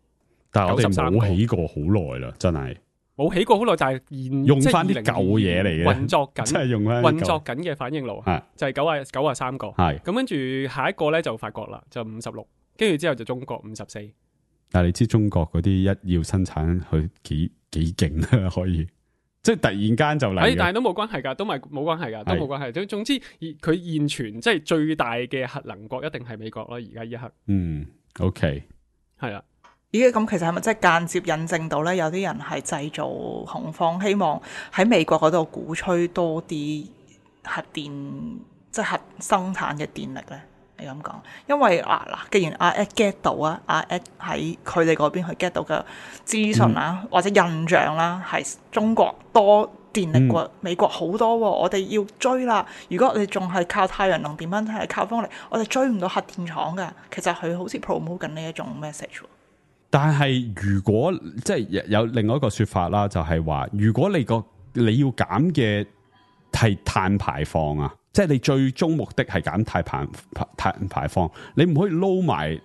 但係我哋冇起過好耐啦，真係冇起過好耐，就係用翻啲舊嘢嚟嘅運作緊，即係用翻運作緊嘅反應爐，就係93個，係咁跟住下一個咧就法國啦，就56，跟住之後就中國54。但係你知中國嗰啲一要生產佢幾勁啦，可以。即係突然間就嚟，但係都冇關係噶，都冇關係噶，都冇關係。總之，佢現存即係最大嘅核能國一定係美國咯。而家一刻，OK， 係啦。咦，咁其實係咪即係間接印證到咧？有啲人係製造恐慌，希望喺美國嗰度鼓吹多啲核電，即係核生產嘅電力咧？你咁講，因為既然阿 Ed get 到阿 Ed 喺佢哋嗰邊去 get 到嘅資訊啦，或者印象啦，係中國多電力過美國好多，我哋要追啦。如果我哋仲係靠太陽能電蚊，係靠風力，我哋追唔到核電廠㗎。其實佢好似 promote 緊呢一種 message。但係如果即係有另外一個說法啦，就係話，如果你要減嘅係碳排放啊。即係你最終目的係減碳排放，你唔可以撈埋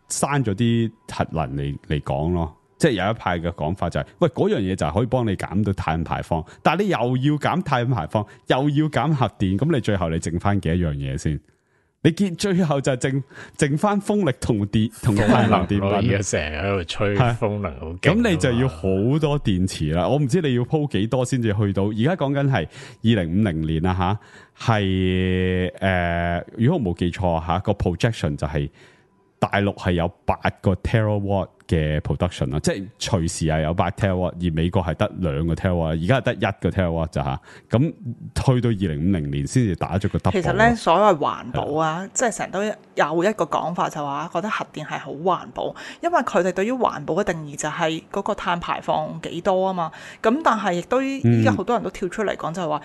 刪咗啲核能嚟講咯。即係有一派嘅講法就係，喂，嗰樣嘢就係可以幫你減到碳排放，但係你又要減碳排放，又要減核電，咁你最後你剩翻幾多樣嘢先？你見最後就剩翻風力同太陽能電板，而家成日喺度吹風能好勁，咁你就要好多電池啦。我唔知你要鋪幾多先至去到。而家講緊係2050年啦吓，係如果我冇記錯吓，個 projection 就係大陸係有8個 terawatt 嘅 production 啦，即係隨時係有8 terawatt，而美國係得2個 terawatt，而家係得1個 terawatt 咋吓，咁去到2050年先至打咗個 double。其實咧，所謂環保啊，即係成日都有一個講法就話，覺得核電係好環保，因為佢哋對於環保嘅定義就係嗰個碳排放幾多啊嘛。咁但係亦都依家好多人都跳出嚟講就係話，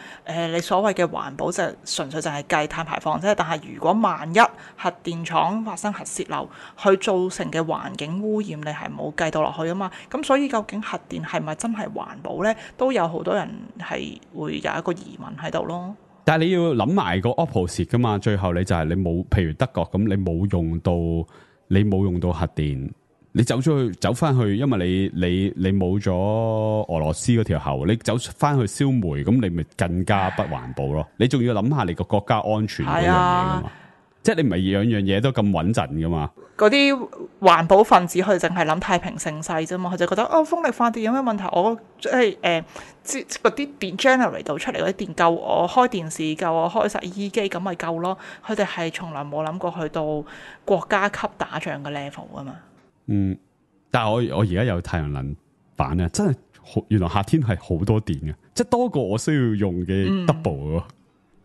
你所謂嘅環保就純粹就係計碳排放啫。但係如果萬一核電廠發生核泄漏，佢造成嘅環境污染，你係冇計到落去啊嘛，咁所以究竟核電係咪真係環保呢？都有好多人係會有一個疑問喺度咯。但係你要諗埋個 opposite 噶嘛，最後你就係你冇，譬如德國咁，你冇用到核電，你走翻去，因為你冇咗俄羅斯嗰條喉，你走翻去燒煤，咁你咪更加不環保咯。你仲要諗下你個國家安全嗰樣嘢噶嘛。即係你唔係樣樣嘢都咁穩陣噶嘛？嗰啲環保分子佢淨係諗太平盛世啫嘛，佢就覺得風力發電有咩問題？我即係嗰啲電 generate 到出嚟嗰啲電夠我開電視夠我開洗衣機咁咪夠咯。佢哋係從來冇諗過去到國家級打仗嘅 level 啊嘛。但係我而家有太陽能板啊，真係原來夏天係好多電嘅，即係多過我需要用嘅 double 喎。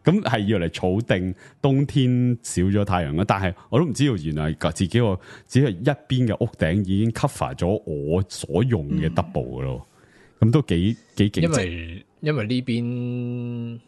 咁係要嚟儲定冬天少咗太陽啦，但係我都唔知道原來自己個只係一邊嘅屋頂已經 cover 咗我所用嘅 double 嘅咯，咁都幾勁。因為呢邊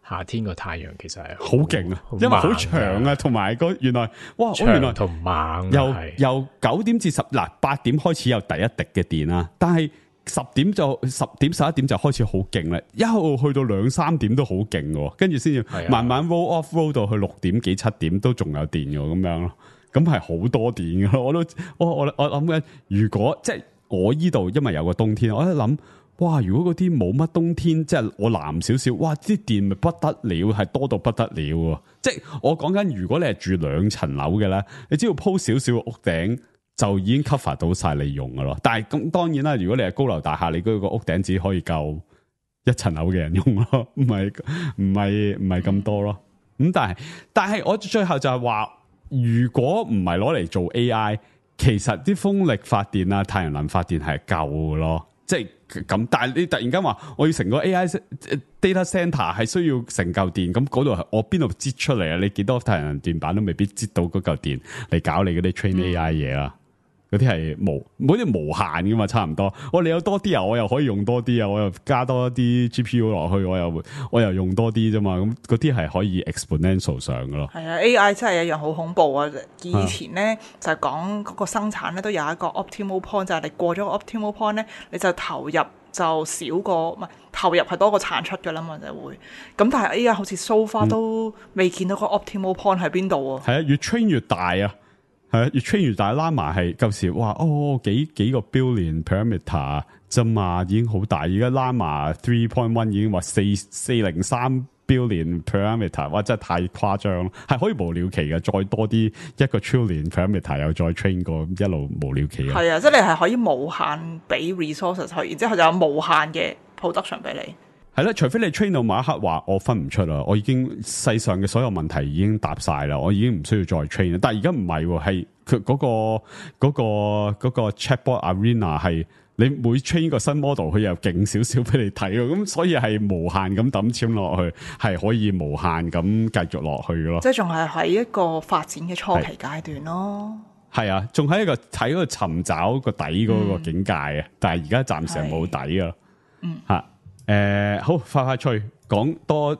夏天個太陽其實係好勁啊，因為好長啊，同埋原來哇，我原來同猛由9點至8點開始有第一滴嘅電啦，但係10點11點就開始好勁啦，一路去到2、3點都好勁嘅，跟住先至慢慢 roll off roll 到去6點幾7點都仲有電嘅咁樣咯，咁係好多電嘅咯，我諗緊，如果即係我依度因為有個冬天，我喺度諗，哇！如果嗰啲冇乜冬天，即係我南少少，哇！啲電咪不得了，係多到不得了喎，即係我講緊，如果你係住2層樓嘅咧，你只要鋪少少屋頂，就已經 cover 到晒你用噶咯，但係咁當然啦，如果你係高樓大廈，你嗰個屋頂只可以夠1層樓嘅人用咯，唔係咁多咯。咁但係我最後就係話，如果唔係攞嚟做 AI，其實啲風力發電啊、太陽能發電係夠嘅咯，即係咁。但係你突然間話我要成個 AI data center 係需要成嚿電，咁嗰度係我邊度擠出嚟啊？你幾多太陽能電板都未必擠到嗰嚿電嚟搞你嗰啲 train AI 嘢啦。嗰啲係嗰啲無限噶嘛，差唔多。你有多啲啊，我又可以用多啲啊，我又加多啲 GPU 落去，我又用多啲啫嘛。咁嗰啲係可以 exponential 上噶咯。係啊 ，AI 真係一樣好恐怖啊！以前咧就係講嗰個生產咧都有一個 optimal point，就係你過咗個 optimal point 咧，你就投入就少過唔係投入係多過產出噶啦嘛，就會。咁但係 AI 好似 so far 都未見到個 optimal point 喺邊度啊？係啊，越 train 越大啊！係啊，越 train 越大，Llama 係舊時哇幾個 billion parameter 啫嘛，已經好大。而家 Llama 3.1 已經話403 billion parameter， 哇真係太誇張咯，係可以無了期嘅，再多啲1個 trillion parameter 又再 train 過，一路無了期嘅。係啊，即係你係可以無限俾 resources 去，然之後就有無限嘅 production 俾你。係啦，除非你 train 到某一刻話我分唔出啦，我已經世上嘅所有問題已經答晒啦，我已經唔需要再 train 啦。但係而家唔係喎，係佢嗰個 chatbot arena 係你每 train 個新 model 佢又勁少少俾你睇喎，咁所以係無限咁抌錢落去，係可以無限咁繼續落去咯。即係仲係喺一個發展嘅初期階段咯。係啊，仲喺一個睇嗰個尋找個底嗰個境界啊，但係而家暫時係冇底啊。吓。好快脆講多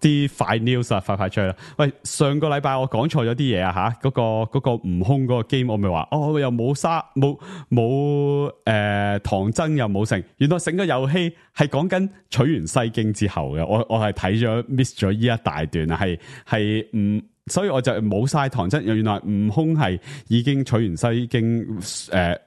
啲快 news 啊，快脆啦！喂，上個禮拜我講錯咗啲嘢啊吓，嗰個悟空嗰個 game 我咪話又冇唐僧又冇成，原來成個遊戲係講緊取完西經之後嘅，我係睇咗 miss 咗呢一大段啊，係唔。所以我就冇晒唐僧，原來悟空係已經取完西經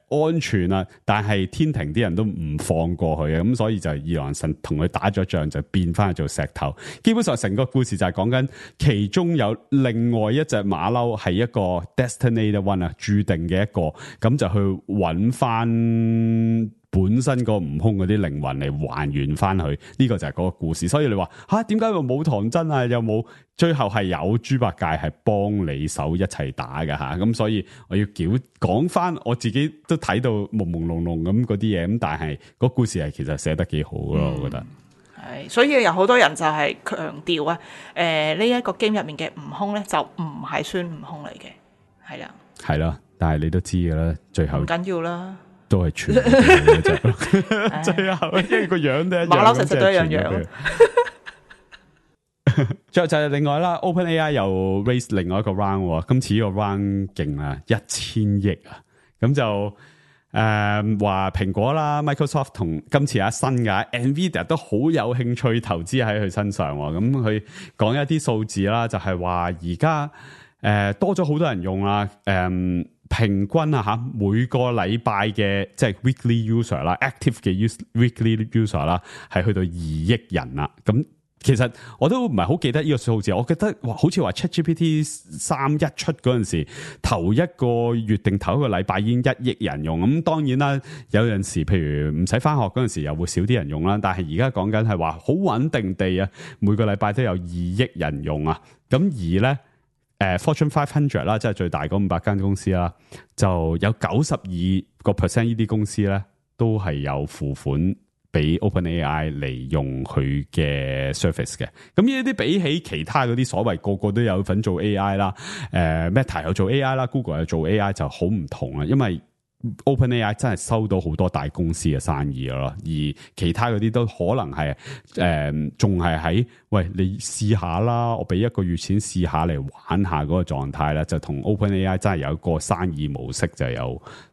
安全啦，但係天庭啲人都唔放過佢嘅，咁所以就二郎神同佢打咗仗，就變翻去做石頭。基本上成個故事就係講緊其中有另外一隻馬騮係一個 Destiny One 啊，注定嘅一個，咁就去揾翻本身個悟空嗰啲靈魂嚟還原翻去，呢個就係嗰個故事。所以你話點解又冇唐僧啊？又冇最後係有豬八戒係幫你手一齊打嘅吓，咁所以我要講翻我自己都睇到朦朦朧朧咁嗰啲嘢，咁但係個故事係其實寫得幾好咯，我覺得。係，所以有好多人就係強調啊，呢一個 game 入面嘅悟空咧就唔係孫悟空嚟嘅，係啦。係啦，但係你都知噶啦，最後唔緊要啦。都係全部嘅啫，最後因為個樣都一樣，馬騮實實都一樣。最後就係另外啦 ，OpenAI 又 raise 另外一個 round， 今次呢個 round 勁啊，1000億啊，咁就話蘋果啦、Microsoft 同今次新嘅 Nvidia 都好有興趣投資喺佢身上，咁佢講一啲數字啦，就係話而家多咗好多人用啦，平均啊吓，每個禮拜嘅即係 weekly user 啦 ，active 嘅 weekly user 啦，係去到2億人啦。咁其實我都唔係好記得呢個數字，我記得好似話 ChatGPT 3一出嗰陣時，頭一個月定頭一個禮拜已經1億人用。咁當然啦，有陣時譬如唔使翻學嗰陣時又會少啲人用啦。但係而家講緊係話好穩定地啊，每個禮拜都有2億人用啊。咁而咧 Fortune 500啦，即係最大嗰500間公司啦，就有92% 呢啲公司咧都係有付款俾 OpenAI 嚟用佢嘅 service 嘅。咁呢啲比起其他嗰啲所謂個個都有份做 AI 啦，Meta 有做 AI 啦，Google 有做 AI 就好唔同啦，因為OpenAI 真係收到好多大公司嘅生意咯，而其他嗰啲都可能係仲係喺喂你試下啦，我俾1個月錢試下嚟玩下嗰個狀態啦，就同 OpenAI 真係有一個生意模式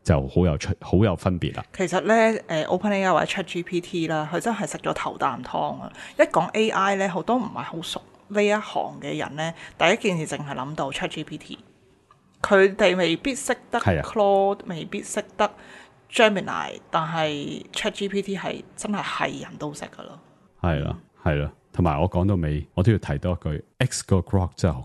就好有分別啦。其實咧OpenAI 或者 ChatGPT 啦，佢真係食咗頭啖湯啊！一講 AI 咧，好多唔係好熟呢一行嘅人咧，第一件事淨係諗到 ChatGPT。佢哋未必識得 Claude，未必識得 Gemini， 但係 ChatGPT 係真係人都識噶咯。係啦，同埋我講到尾，我都要提多一句 ，X 個 Grok 真係好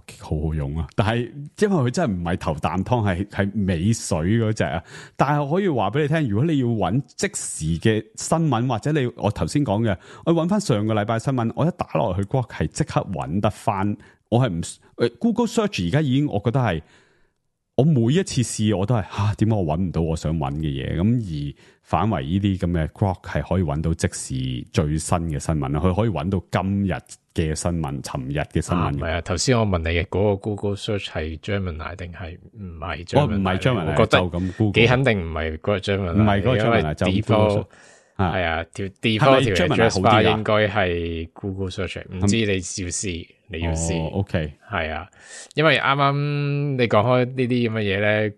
好用啊！但係因為佢真係唔係頭啖湯，係尾水嗰隻啊！但係我可以話俾你聽，如果你要揾即時嘅新聞，或者我頭先講嘅，我揾翻上個禮拜新聞，我一打落去 Grok 係即刻揾得翻。我係唔 Google Search 而家已經，我覺得係。我每一次試我都係點解我揾唔到我想揾嘅嘢，咁而反為呢啲咁嘅 Grok 係可以揾到即時最新嘅新聞，佢可以揾到今日嘅新聞、尋日嘅新聞。唔係頭先我問你嘅嗰個 Google Search 係 Gemini 定係唔係 Gemini？唔係 Gemini，我覺得咁 Google 幾肯定唔係嗰個 Gemini，唔係嗰個 Gemini 就 default 係啊，條 default 條 address bar 應該係 Google Search， 唔知你要試。你要試，OK，係啊，因為啱啱你講開呢啲咁嘅嘢咧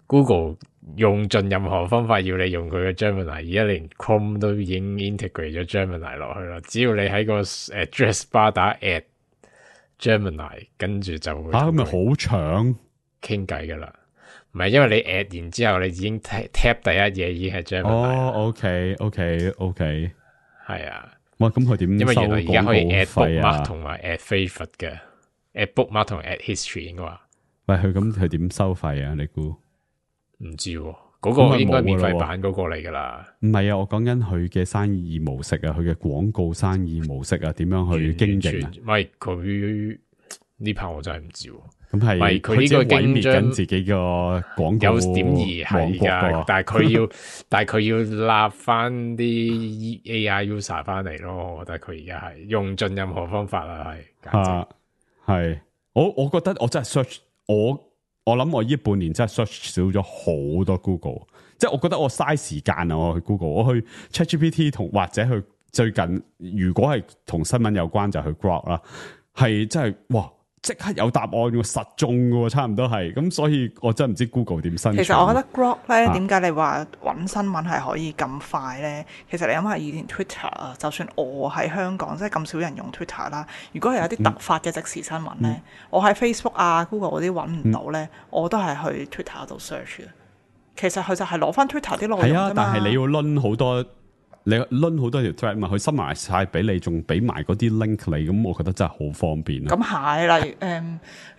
，Google 用盡任何方法要你用佢嘅 Gemini， 而家連 Chrome 都已經 integrate 咗 Gemini 落去啦。只要你喺個 address bar 打 at Gemini， 跟住就會咁咪好長傾偈噶啦。唔係，因為你 at 完之後，你已經 tap 第一嘢已經係 Gemini。OK，係啊。哇！咁佢點？因為原來而家可以 add 費 bookmark 同埋 add favorite 嘅 add bookmark 同 add history 應該話。喂，佢點收費啊？你估？唔知喎，嗰個應該免費版嗰個嚟噶啦。唔係啊，我講緊佢嘅生意模式啊，佢嘅廣告生意模式啊，點樣去經營啊？唔係佢呢 part 我真係唔知喎。咁係佢呢個毀滅緊自己個廣告有點而係㗎，但係佢要立翻啲 AI user 翻嚟咯。我覺得佢而家係用盡任何方法啦，係我覺得我真係 search 我諗我呢半年真係 search 少咗好多 Google， 即係我覺得我嘥時間啊！我去 Google， 我去 ChatGPT 同或者去最近如果係同新聞有關就去 Grok 啦，係真係哇！即刻有答案喎，實中嘅喎，差唔多係咁，所以我真係唔知 Google 點生存。其實我覺得 Grok 咧，點解你話揾新聞係可以咁快咧？其實你諗下以前 Twitter 啊，就算我喺香港，即係咁少人用 Twitter 啦，如果係有啲突發嘅即時新聞咧，我喺 Facebook 啊、Google 嗰啲揾唔到咧，我都係去 Twitter 度 search 嘅。其實佢就係攞翻 Twitter 啲內容啫嘛。但係你要攆好多。你攆好多條 thread 嘛，佢收埋晒俾你，仲俾埋嗰啲 link 你，咁我覺得真係好方便。咁係，例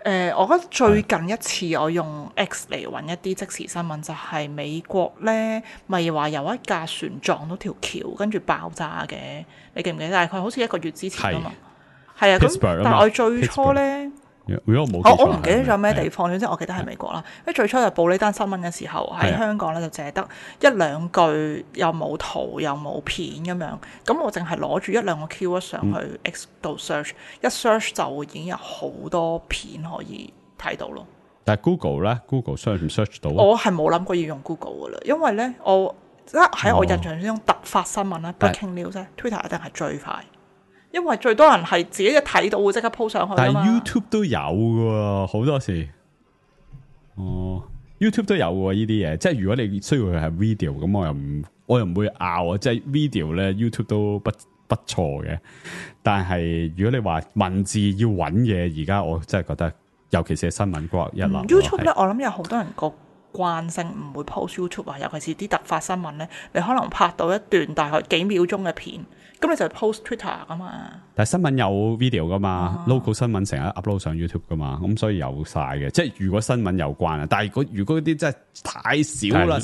如我覺得最近一次我用 X 嚟揾一啲即時新聞，就係美國咧，咪話有一架船撞到條橋，跟住爆炸嘅，你記唔記得？大概好似1個月之前啊嘛，係啊，咁但係我最初咧。如果我唔記得咗咩地方，總之我記得係美國啦。因為最初就報呢單新聞嘅時候，喺香港咧就淨係得1-2句，又冇圖又冇片咁樣。咁我淨係攞住1-2個 keyword 上去 X 度 search，一 search 就已經有好多片可以睇到咯。但係 Google 咧 ，Google search 唔 search 到？我係冇諗過要用 Google 噶啦，因為咧我喺我印象之中突發新聞咧 breaking news 咧 Twitter 一定係最快。因為最多人係自己一睇到會即刻 po 上去，但係 YouTube 都有嘅，好多時。YouTube 都有嘅呢啲嘢，即係如果你需要佢係 video，咁我又唔會拗啊。即係 video 咧 YouTube 都不錯嘅。但係如果你話文字要揾嘢，而家我真係覺得，尤其是新聞 Grok 一流。YouTube 咧，我諗有好多人個慣性唔會 post YouTube 啊，尤其是啲突發新聞咧，你可能拍到一段大概幾秒鐘嘅片。咁你就 post Twitter 噶嘛？但係新聞有 video 噶嘛，local 新聞成日 upload 上 YouTube 噶嘛，咁所以有晒嘅。即係如果新聞有關啊，但係如果啲真係太少啦。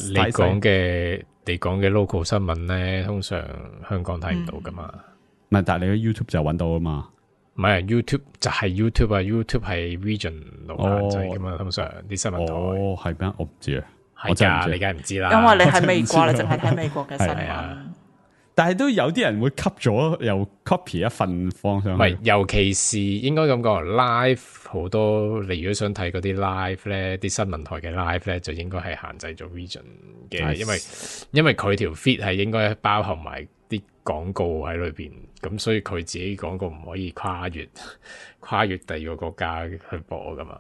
你講嘅 local 新聞咧，通常香港睇唔到噶嘛。唔係，但係你喺 YouTube 就揾到啊嘛。唔係 YouTube 就係 YouTube 啊 ，YouTube 係 regional 限制噶嘛，通常啲新聞台。哦，係咩？我唔知啊，係㗎，你梗係唔知啦。因為你喺美國，你淨係睇美國嘅新聞。但係都有啲人會吸咗又 copy 一份放上去。唔係，尤其是應該咁講，live 好多。你如果想睇嗰啲 live 咧，啲新聞台嘅 live 咧，就應該係限制咗 region 嘅，因為佢條 feed 係應該包含埋啲廣告喺裏邊，咁所以佢自己廣告唔可以跨越第二個國家去播噶嘛。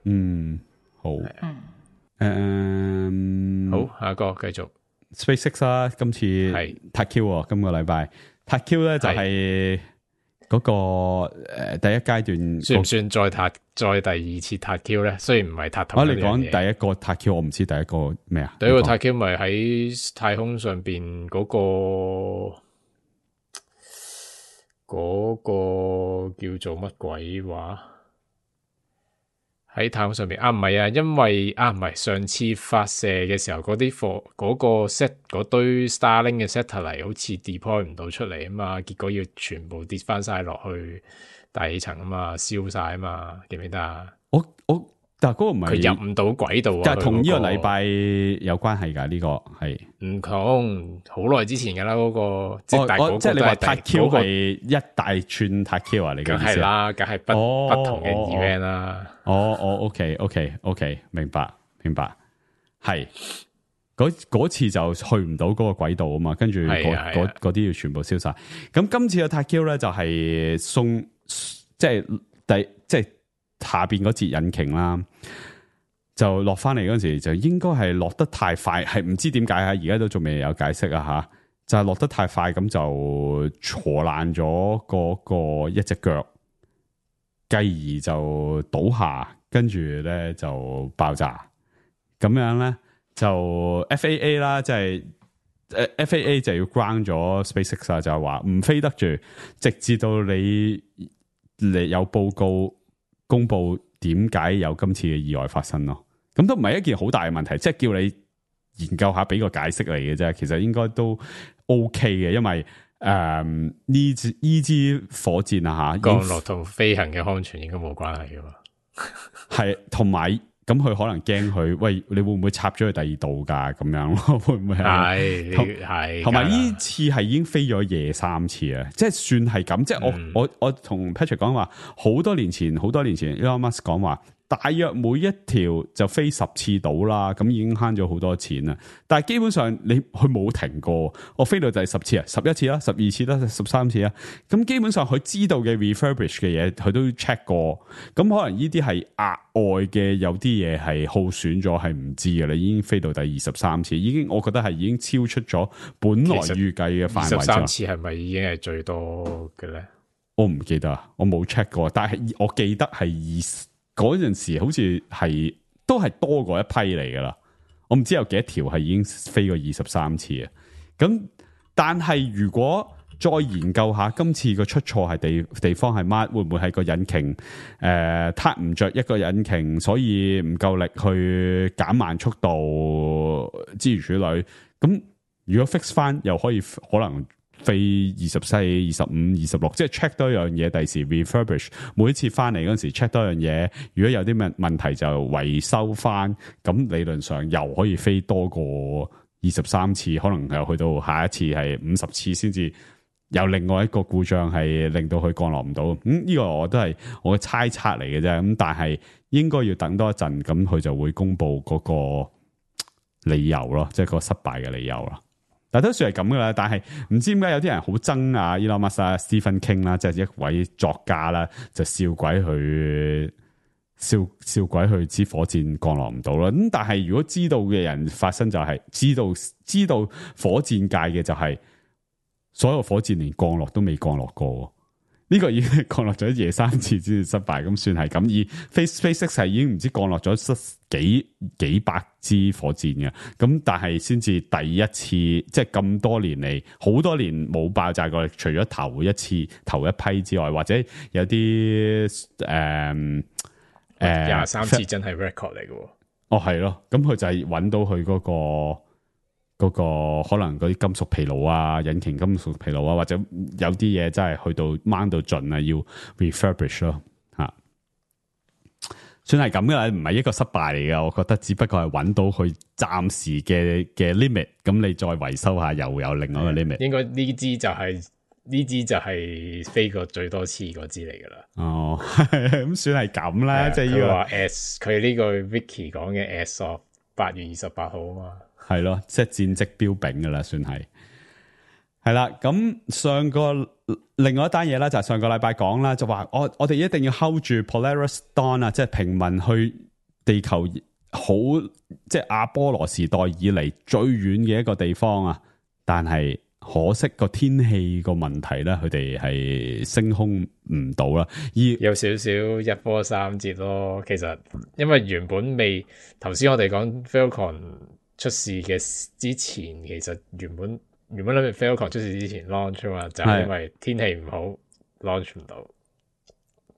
嗯，好，好，下一個繼續。SpaceX 啦，今次係 TACU 喎，今個禮拜 TACU 咧就係嗰個第一階段，算唔算再第二次 TACU 咧？雖然唔係同一樣嘢。你講第一個 TACU，我唔知第一個咩啊？第一個 TACU 咪喺太空上邊嗰個叫做乜鬼話？喺太空上面唔係啊，因為唔係上次發射嘅時候嗰個堆 Starlink 嘅 satellite 好似 deploy 唔到出嚟啊嘛，結果要全部跌翻晒落去大氣層啊嘛，燒晒啊嘛，記唔記得啊？但係嗰個唔係佢入唔到軌道啊，但係同呢個禮拜有關係㗎，呢個係唔同好耐之前㗎啦，嗰個即係你話 TACU 係一大串 TACU 啊？你嘅意思係啦，梗係不同嘅 event 啦。OK，明白，係嗰次就去唔到嗰個軌道啊嘛，跟住嗰啲要全部燒晒。咁今次嘅 TACU 咧就係送即係下邊嗰節引擎啦，就落翻嚟嗰陣時就應該係落得太快，係唔知點解啊？而家都仲未有解釋啊吓，就係落得太快，咁就挫爛咗嗰個一隻腳，繼而就倒下，跟住咧就爆炸，咁樣咧就 FAA 啦，即係FAA 就要 ground 咗 SpaceX 啊，就係話唔飛得住，直至到你有報告公布點解有今次嘅意外發生咯。咁都唔係一件好大嘅問題，即係叫你研究下，俾個解釋嚟嘅啫。其實應該都 OK 嘅，因為呢支火箭啊吓，降落同飛行嘅安全應該冇關係噶嘛。係同埋。咁佢可能驚佢，喂，你會唔會插咗去第二度噶？咁樣咯，會唔會係？同埋呢次係已經飛咗夜3次啊！即係算係咁，即係我同 Patrick 講話，好多年前 Elon Musk 講話，大約每一條就飛10次到啦，咁已經慳咗好多錢啦。但係基本上佢冇停過，我飛到就係10次啊，11次啦，12次啦，13次啦。咁基本上佢知道嘅 refurbish 嘅嘢，佢都 check 過。咁可能呢啲係額外嘅，有啲嘢係耗損咗，係唔知嘅。你已經飛到第23次，我覺得係已經超出咗本來預計嘅範圍。23次係咪已經係最多嘅咧？我唔記得啊，我冇 check 過，但係我記得係嗰陣時好似係都係多過一批嚟噶啦，我唔知有幾多條係已經飛過23次啊。咁但係如果再研究下今次個出錯係地方係乜，會唔會係個引擎撻唔着一個引擎，所以唔夠力去減慢速度，諸如此類。咁如果 fix 翻，又可能飛24、25、26，即係 check 多一樣嘢，第時 refurbish 每一次翻嚟嗰陣時 check 多樣嘢，如果有啲問題就維修翻，咁理論上又可以飛多過23次，可能又去到下一次係50次先至有另外一個故障係令到佢降落唔到。呢個我都係我嘅猜測嚟嘅啫，咁但係應該要等多一陣，咁佢就會公布嗰個理由咯，即係個失敗嘅理由啦。但都算係咁噶啦，但係唔知點解有啲人好憎啊 Elon Musk 啊 Stephen King 啦，即係一位作家啦，就笑鬼佢支火箭降落唔到啦。咁但係如果知道嘅人發生就係知道火箭界嘅就係所有火箭連降落都未降落過。呢個已經降落咗夜3次先至失敗，咁算係咁。而 SpaceX 係已經唔知降落咗幾百支火箭嘅，咁但係先至第一次，即係咁多年嚟，好多年冇爆炸過，除咗頭一批之外，或者有啲23次真係 record 嚟嘅。哦，係咯，咁佢就係揾到佢嗰個嗰個可能嗰啲金屬疲勞啊，引擎金屬疲勞啊，或者有啲嘢真係去到掹到盡啊，要 refurbish 咯吓，算係咁噶啦，唔係一個失敗嚟嘅，我覺得只不過係揾到佢暫時嘅 limit， 咁你再維修下又有另外一個 limit。應該呢支就係飛過最多次嗰支嚟噶啦。哦，咁算係咁啦，即係呢個話 S 佢呢個 Vicky 講嘅 S of 8月28號啊嘛。係咯，即係戰績彪炳噶啦，算係。係啦，咁另外一單嘢咧，就係上個禮拜講啦，就話我哋一定要 hold 住 Polaris Dawn 啊，即係平民去地球好，即係阿波羅時代以嚟最遠嘅一個地方啊。但係可惜個天氣個問題咧，佢哋係升空唔到啦，有少少一波三折咯。其實因為原本頭先我哋講 Falcon 出事嘅之前，其實原本諗住 Falcon 出事之前 launch 啊嘛，就係因為天氣唔好 launch 唔到。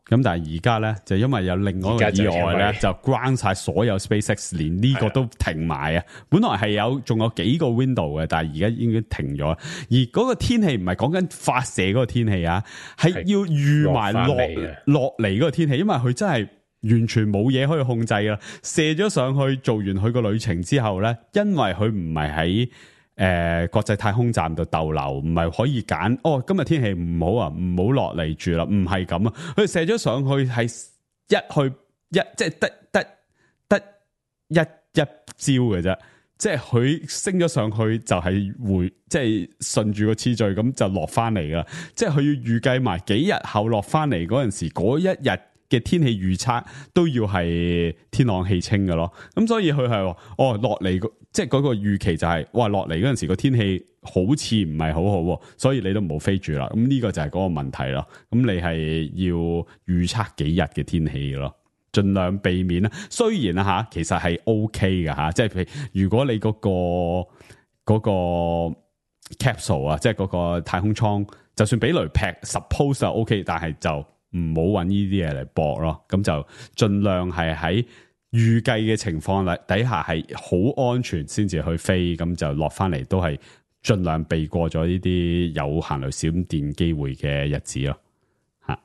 咁但係而家咧，就因為有另外一個意外咧，就 ground 晒所有 SpaceX， 連呢個都停埋啊！本來係仲有幾個 window 嘅，但係而家已經停咗。而嗰個天氣唔係講緊發射嗰個天氣啊，係要預埋落嚟嗰個天氣，因為佢真係完全冇嘢可以控制噶。射咗上去，做完佢個旅程之後咧，因為佢唔係喺國際太空站度逗留，唔係可以揀今日天氣唔好啊，唔好落嚟住啦，唔係咁啊，佢射咗上去係即係得一招嘅啫，即係佢升咗上去就係即係順住個次序咁就落翻嚟噶，即係佢要預計埋幾日後落翻嚟嗰陣時，嗰一日嘅天氣預測都要係天朗氣清嘅咯，咁所以佢係落嚟即係嗰個預期就係落嚟嗰陣時個天氣好似唔係好好，所以你都唔好飛住啦。咁呢個就係嗰個問題咯。咁你係要預測幾日嘅天氣咯，盡量避免啦。雖然啊其實係 OK 嘅吓，即係譬如如果你嗰個 capsule 啊，即係嗰個太空艙，就算俾雷劈 suppose 就 OK， 但係就唔好揾呢啲嘢嚟搏咯。咁就盡量係喺預計嘅情況底下係好安全先至去飛，咁就落翻嚟都係盡量避過咗呢啲有行雷閃電機會嘅日子咯。吓，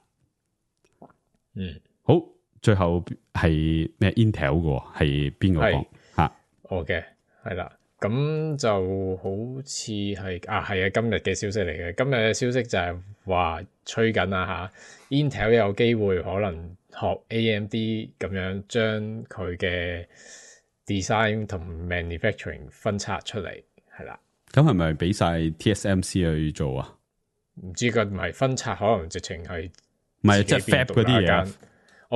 好，最後係咩 Intel 嘅，係邊個講吓？我嘅係啦，咁就好似係係啊，今日嘅消息嚟嘅。今日嘅消息就係話吹緊啦吓 ，Intel 有機會可能學 AMD 咁樣將佢嘅 design 同 manufacturing 分拆出嚟，係啦。咁係咪俾晒 TSMC 去做啊？唔知佢唔係分拆，可能直情係唔係即係 Fab 嗰啲嘢。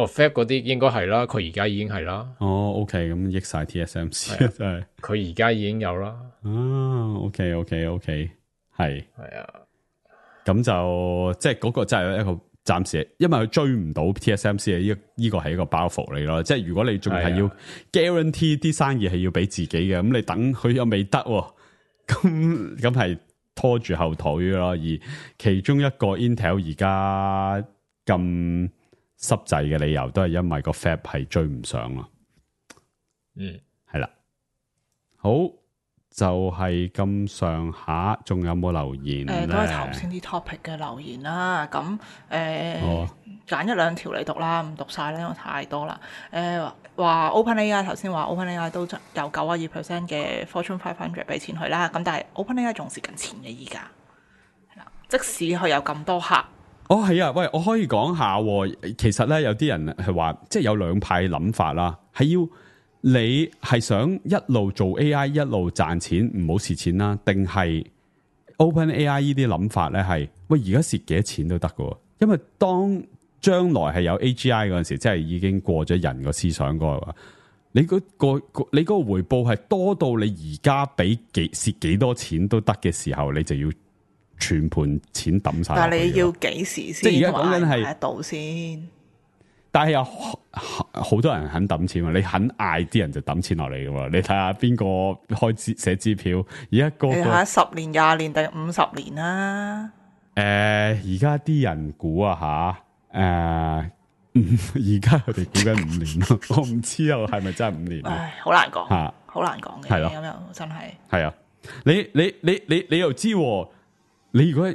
Fab 嗰啲應該係啦，佢而家已經係啦。OK， 咁益晒 TSMC 真係。佢而家已經有啦。OK， 係啊。咁就即係嗰個真係一個暫時，因為佢追唔到 TSMC 嘅呢個係一個包袱嚟咯。即係如果你仲係要 guarantee 啲生意係要俾自己嘅，咁你等佢又未得，咁係拖住後腿咯。而其中一個 Intel 而家咁濕滯嘅理由，都係因為個 Fab 係追唔上咯。係啦，好。就係咁上下，仲有冇留言咧？都係頭先啲 topic 嘅留言啦。咁揀一兩條嚟讀啦，唔讀晒咧，因為太多啦。話 OpenAI 頭先話 OpenAI 都有92% 嘅 Fortune 500俾錢佢啦。咁但係 OpenAI 仲蝕緊錢嘅依家，係啦。即使佢有咁多客，係啊，喂，我可以講下。其實咧，有啲人係話，即係有兩派諗法啦，係要。你係想一路做 AI 一路賺錢唔好蝕錢啦，定係 OpenAI 呢啲諗法咧？係喂，而家蝕幾多錢都得㗎，因為當將來係有 AGI 嗰陣時，即係已經過咗人個思想嗰個，你嗰個回報係多到你而家俾蝕幾多錢都得嘅時候，你就要全盤錢抌晒。但係你要幾時先？即係而家講緊係喺度先。但係有好多人肯抌錢喎，你肯嗌啲人就抌錢落嚟嘅喎。你睇下邊個開寫支票，而家你睇下10年、20年定50年啦。而家啲人估啊吓，而家佢哋估緊5年咯，我唔知啊，係咪真係5年？好難講，好難講嘅。係咯，咁又真係係啊。你又知喎，你如果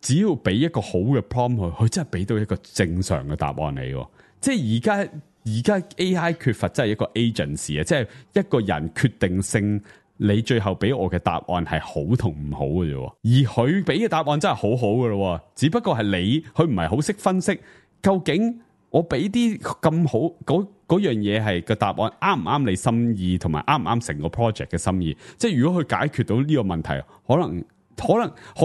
只要俾一個好嘅 prompt 佢真係俾到一個正常嘅答案你喎。即係而家 AI 缺乏真係一個 agency 啊，即係一個人決定性。你最後俾我嘅答案係好同唔好嘅啫，而佢俾嘅答案真係好好嘅咯，只不過係佢唔係好識分析究竟我俾啲咁好嗰樣嘢係個答案啱唔啱你心意，同埋啱唔啱成個 project 嘅心意。即係如果佢解決到呢個問題，可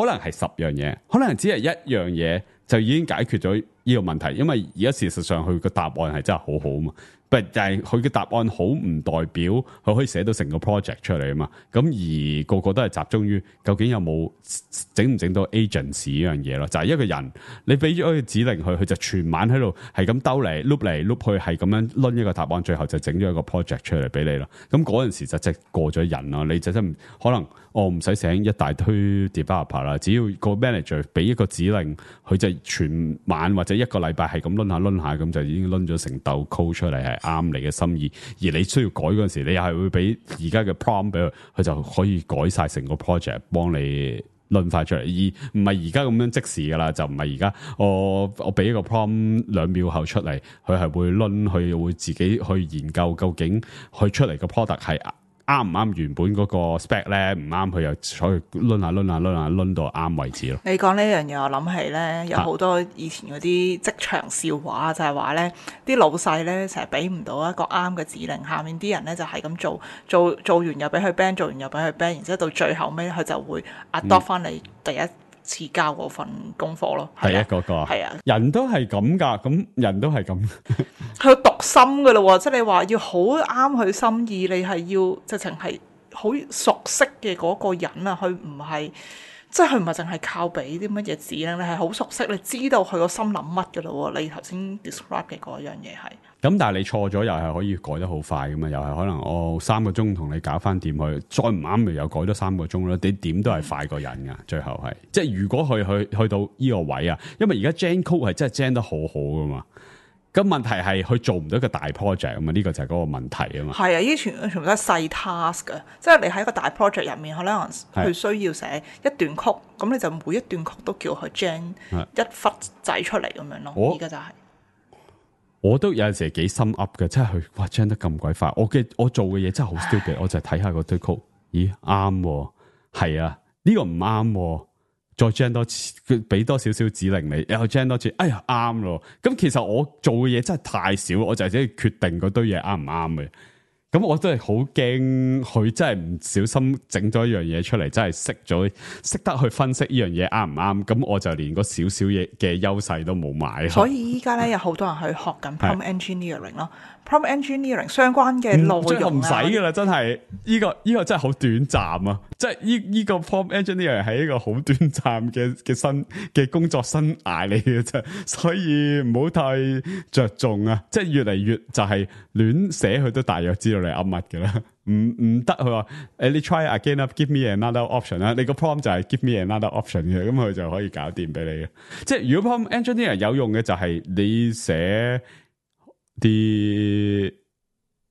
能係10樣嘢，可能只係一樣嘢就已經解決咗呢個問題，因為而家事實上佢個答案係真係好好啊嘛。但係佢嘅答案好唔代表佢可以寫到成個 project 出嚟啊嘛，咁而個都係集中於究竟有冇整唔整到 agency 呢樣嘢咯，就係一個人你俾咗個指令佢就全晚喺度係咁兜嚟碌去，係咁樣掄一個答案，最後就整咗一個 project 出嚟俾你咯。咁嗰陣時就即係過咗人咯，你就真可能我唔使請一大堆 developer 啦，只要個 manager 俾一個指令，佢就全晚或者一個禮拜係咁掄下，咁就已經掄咗成竇 code 出嚟係啱你嘅心意。而你需要改嗰陣時，你又係會俾而家嘅 prompt 俾佢，佢就可以改晒成個 project 幫你掄翻出嚟，而唔係而家咁樣即時噶啦，就唔係而家我俾一個 prompt 2秒後出嚟，佢係會掄，佢會自己去研究究竟佢出嚟嘅 product 係啱唔啱原本嗰個 spec 咧，唔啱佢又所以掄下掄到啱為止咯。你講呢樣嘢，我諗起咧有好多以前嗰啲職場笑話，就係話咧啲老細咧成日俾唔到一個啱嘅指令，下面啲人咧就係咁做完又俾佢 ban， 做完又俾佢 ban， 然之後到最後尾佢就會 adopt 翻你第一次交嗰份功課咯。第一個係啊，人都係咁噶，咁人都係咁。佢讀心噶咯，即係你話要好啱佢心意，你係要直情係好熟悉嘅嗰個人啊，佢唔係即係佢唔係淨係靠俾啲乜嘢指令，你係好熟悉，你知道佢個心諗乜噶咯。你頭先 describe 嘅嗰樣嘢係咁，但係你錯咗又係可以改得好快噶嘛，又係可能3個鐘同你搞翻掂佢，再唔啱咪又改咗3個鐘咯。你點都係快過人噶，最後係即係如果去到呢個位啊，因為而家 Gen Code 係真係 Gen 得好好噶嘛。咁問題係佢做唔到一個大 project 啊嘛，呢個就係嗰個問題啊嘛。係啊，呢啲全部都係細 task 嘅，即係你喺個大 project 入面，可能佢需要寫一段曲，咁你就每一段曲都叫佢 gen 一忽仔出嚟咁樣咯。而家就係我都有陣時幾心 up 嘅，即係佢哇 gen 得咁鬼快，我做嘅嘢真係好 stupid，我就睇下個堆曲，咦啱喎，係啊，呢個唔啱喎。再 gen 多次，佢俾多少少指令你，又 gen 多次，哎呀啱咯。咁其實我做嘅嘢真係太少，我就係只係決定嗰堆嘢啱唔啱嘅。咁我真係好驚，佢真係唔小心整咗一樣嘢出嚟，真係識得去分析呢樣嘢啱唔啱。咁我就連個少少嘢嘅優勢都冇買。所以依家咧有好多人去學緊 prompt engineering 咯。prompt engineering 相關嘅內容唔使噶啦，真係呢個真係好短暫啊！即係呢個 prompt engineering 係一個好短暫嘅工作生涯嚟嘅啫，所以唔好太着重啊！即係越嚟越就係亂寫，佢都大約知道你噏乜嘅啦。唔得，佢話你 try again up，give me another option 啦。你個 prompt 就係 give me another option 嘅，咁佢就可以搞掂俾你嘅。即係如果 prompt engineering 有用嘅就係你寫啲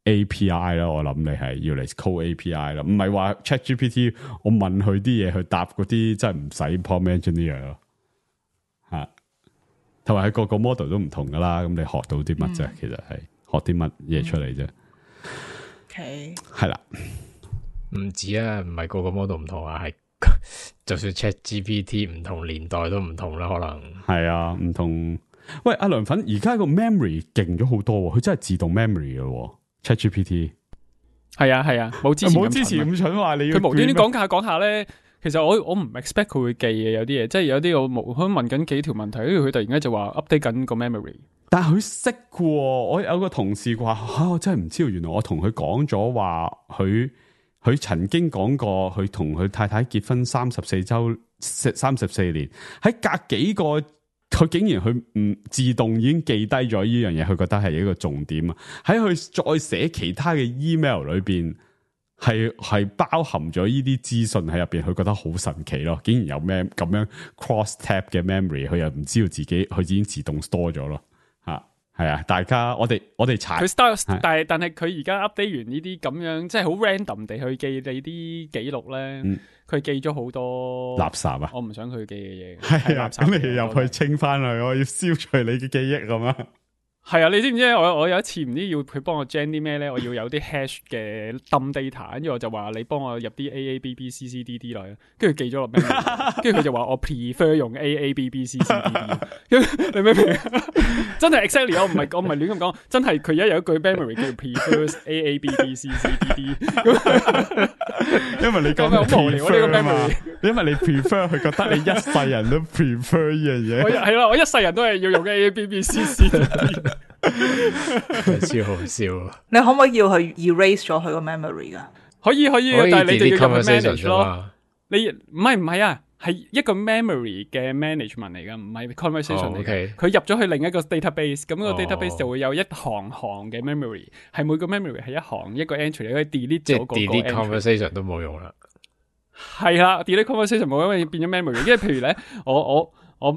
API 啦，我諗你係要嚟 code API 啦，唔係話 ChatGPT 我問佢啲嘢去答嗰啲，真係唔使 prompt engineer 咯吓。同埋佢個 model 都唔同噶啦，咁你學到啲乜啫？其實係學啲乜嘢出嚟啫。OK，係啦，唔止啊，唔係個 model 唔同啊，係就算 ChatGPT 唔同年代都唔同啦，可能係啊，唔同。喂，阿涼粉，而家個 memory 勁咗好多，佢真係自動 memory 嘅 ChatGPT。係啊，冇之前咁蠢話你要，佢無端端講下咧，其實我唔 expect 佢會記嘅，有啲嘢，即係有啲我問緊幾條問題，跟住佢突然間就話 update 緊個 memory。但係佢識嘅，我有個同事話我真係唔知道，原來我同佢講咗話，佢曾經講過，佢同佢太太結婚34年，喺隔幾個。佢竟然佢唔自動已經記低咗呢樣嘢，佢覺得係一個重點啊！喺佢再寫其他嘅 email 裏邊，係包含咗呢啲資訊喺入邊，佢覺得好神奇咯！竟然有咩咁樣 cross tab 嘅 memory，佢又唔知道自己佢已經自動 store 咗咯，吓係啊，大家我哋查佢 start， 但係佢而家 update 完呢啲咁樣，即係好 random 地去記你啲記錄咧，佢記咗好多垃圾啊！我唔想佢記嘅嘢，係啊，咁你入去清翻佢，我要消除你嘅記憶咁啊！係啊，你知唔知我有一次唔知要佢幫我 gen 啲咩咧？我要有啲 hash 嘅 dump data， 跟住我就話你幫我入啲 AABBCCDD 落去，跟住記咗落咩？跟住佢就話我 prefer 用 AABBCCDD， 你明唔明？真係 exactly， 我唔係亂咁講，真係佢而家有一句 memory 叫 prefers AABBCCDD， 因為你講好無聊呢個 memory， 因為你 prefer 佢覺得你一世人都 prefer 呢樣嘢，係啦，我一世人都係要用 AABBCCDD。超好笑！你可唔可以要佢 erase 咗佢個 memory 噶？可以，但係你就要入去 manage 咯。你唔係啊，係一個 memory 嘅 management 嚟噶，唔係 conversation 嚟嘅。佢入咗去另一個 database， 咁個 database 就會有一行嘅 memory， 係每個 memory 係一行一個 entry， 你可以 delete 咗嗰個 entry。即係 delete conversation 都冇用啦。係啦 ，delete conversation 冇因為變咗 memory。因為譬如咧，我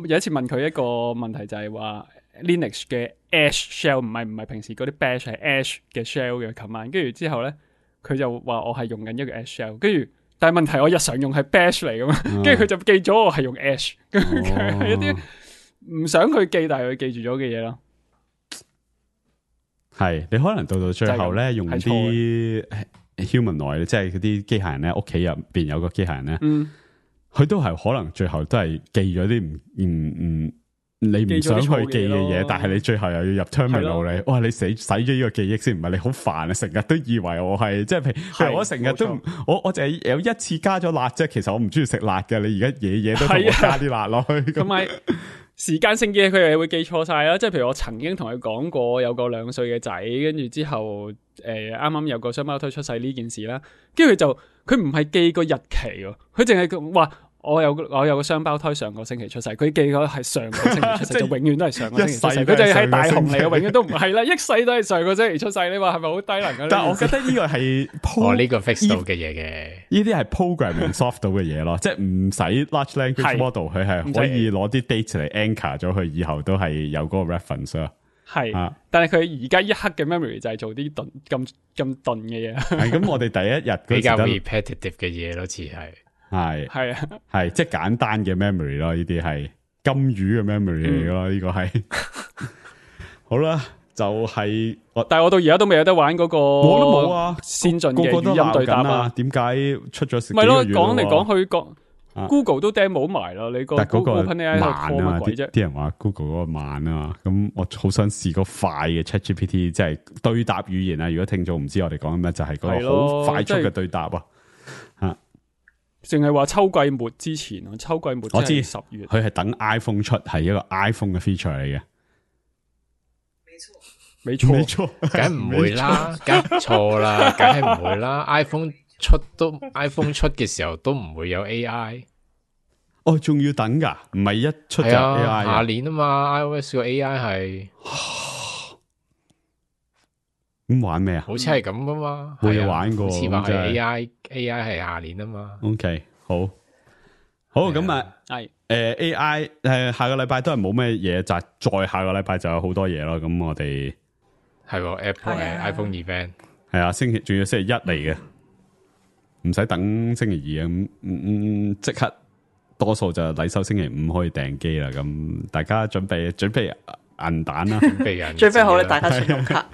有一次問佢一個問題就係話。Linux 嘅 Ash shell 唔係平時嗰啲 bash 係 Ash 嘅 shell 嘅 command， 跟住之後咧佢就話我係用緊一個 Ash shell， 跟住但係問題我日常用係 bash 嚟噶嘛，跟住佢就記咗我係用 Ash， 係一啲唔想佢記但係佢記住咗嘅嘢咯。係你可能到最後咧用啲 humanoid， 即係嗰啲機械人咧，屋企入邊有個機械人咧，佢都係可能最後都係記咗啲唔你唔想去記嘅嘢，但係你最後又要入 terminal 你，哇！你使咗呢個記憶先，唔係你好煩啊！成日都以為我係即係譬如我成日都我淨係有一次加咗辣啫，其實我唔中意食辣嘅。你而家嘢都同我加啲辣落去，同埋時間性嘅嘢佢又會記錯晒啦。即係譬如我曾經同佢講過有個2歲嘅仔，跟住之後啱啱有個雙胞胎出世呢件事啦，跟住佢唔係記個日期喎，佢淨係話。我有個雙胞胎上個星期出世，佢記咗係上個星期出世，就永遠都係上個星期出世。佢就係大雄嚟嘅，永遠都唔係啦，一世都係上個星期出世。你話係咪好低能啊？但係我覺得呢個係呢個 fix 到嘅嘢嘅，呢啲係 programming soft 到嘅嘢咯，即係唔使 large language model， 佢係可以攞啲 date 嚟 anchor 咗佢，以後都係有嗰個 reference 咯。係，但係佢而家一刻嘅 memory 就係做啲咁頓嘅嘢。係咁，我哋第一日比較 repetitive 嘅嘢咯，似係。係啊，係即係簡單嘅 memory 咯，呢啲係金魚嘅 memory 嚟咯，呢個係好啦，就係但係我到而家都未有得玩嗰個，我都冇啊，先進嘅語音對答啊，點解出咗？咪咯，講嚟講去Google 都 demo 埋啦，你個 Google 慢啊，啲人話 Google 嗰個慢啊，咁我好想試個快嘅 ChatGPT， 即係對答語言啊。如果聽眾唔知我哋講咩，就係嗰個好快速嘅對答啊。淨係話秋季末之前，秋季末我知10月，佢係等 iPhone 出，係一個 iPhone 嘅 feature 嚟嘅。沒錯，梗唔會啦，梗錯啦，梗係唔會啦。iPhone 出嘅時候都唔會有 AI。哦，仲要等噶？唔係一出就 AI，下年啊嘛 ，iOS 個 AI 係咁玩咩啊？好似係咁噶嘛，冇玩過。好似話係 AI 係下年啊嘛。OK， 好咁啊，係AI 下個禮拜都係冇咩嘢，就再下個禮拜就有好多嘢咯。咁我哋係 Apple iPhone event 係啊，仲要星期一嚟嘅，唔使等星期二啊。咁即刻多數就禮收星期五可以訂機啦。咁大家準備銀彈啦，準備好咧，大家信用卡。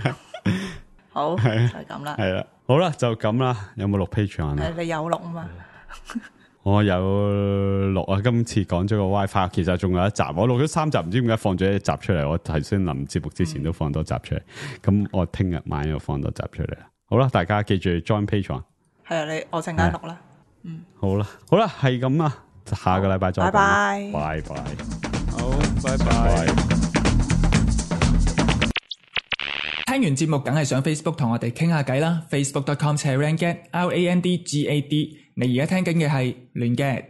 好，就係咁啦。係啦，好啦，就咁啦。有冇錄 Patreon 啊？你有錄啊嘛？我有錄啊。今次講咗個 WiFi， 其實仲有一集，我錄咗3集，唔知點解放咗一集出嚟。我頭先臨節目之前都放多集出嚟，咁我聽日晚又放多集出嚟啦。好啦，大家記住 join Patreon。係啊，我陣間錄啦。好啦，係咁啦，下個禮拜再見。拜拜。好，拜拜。聽完節目梗係上 Facebook 同我哋傾下偈啦 ，facebook.com/randgad，RANDGAD。你而家聽緊嘅係亂 gad。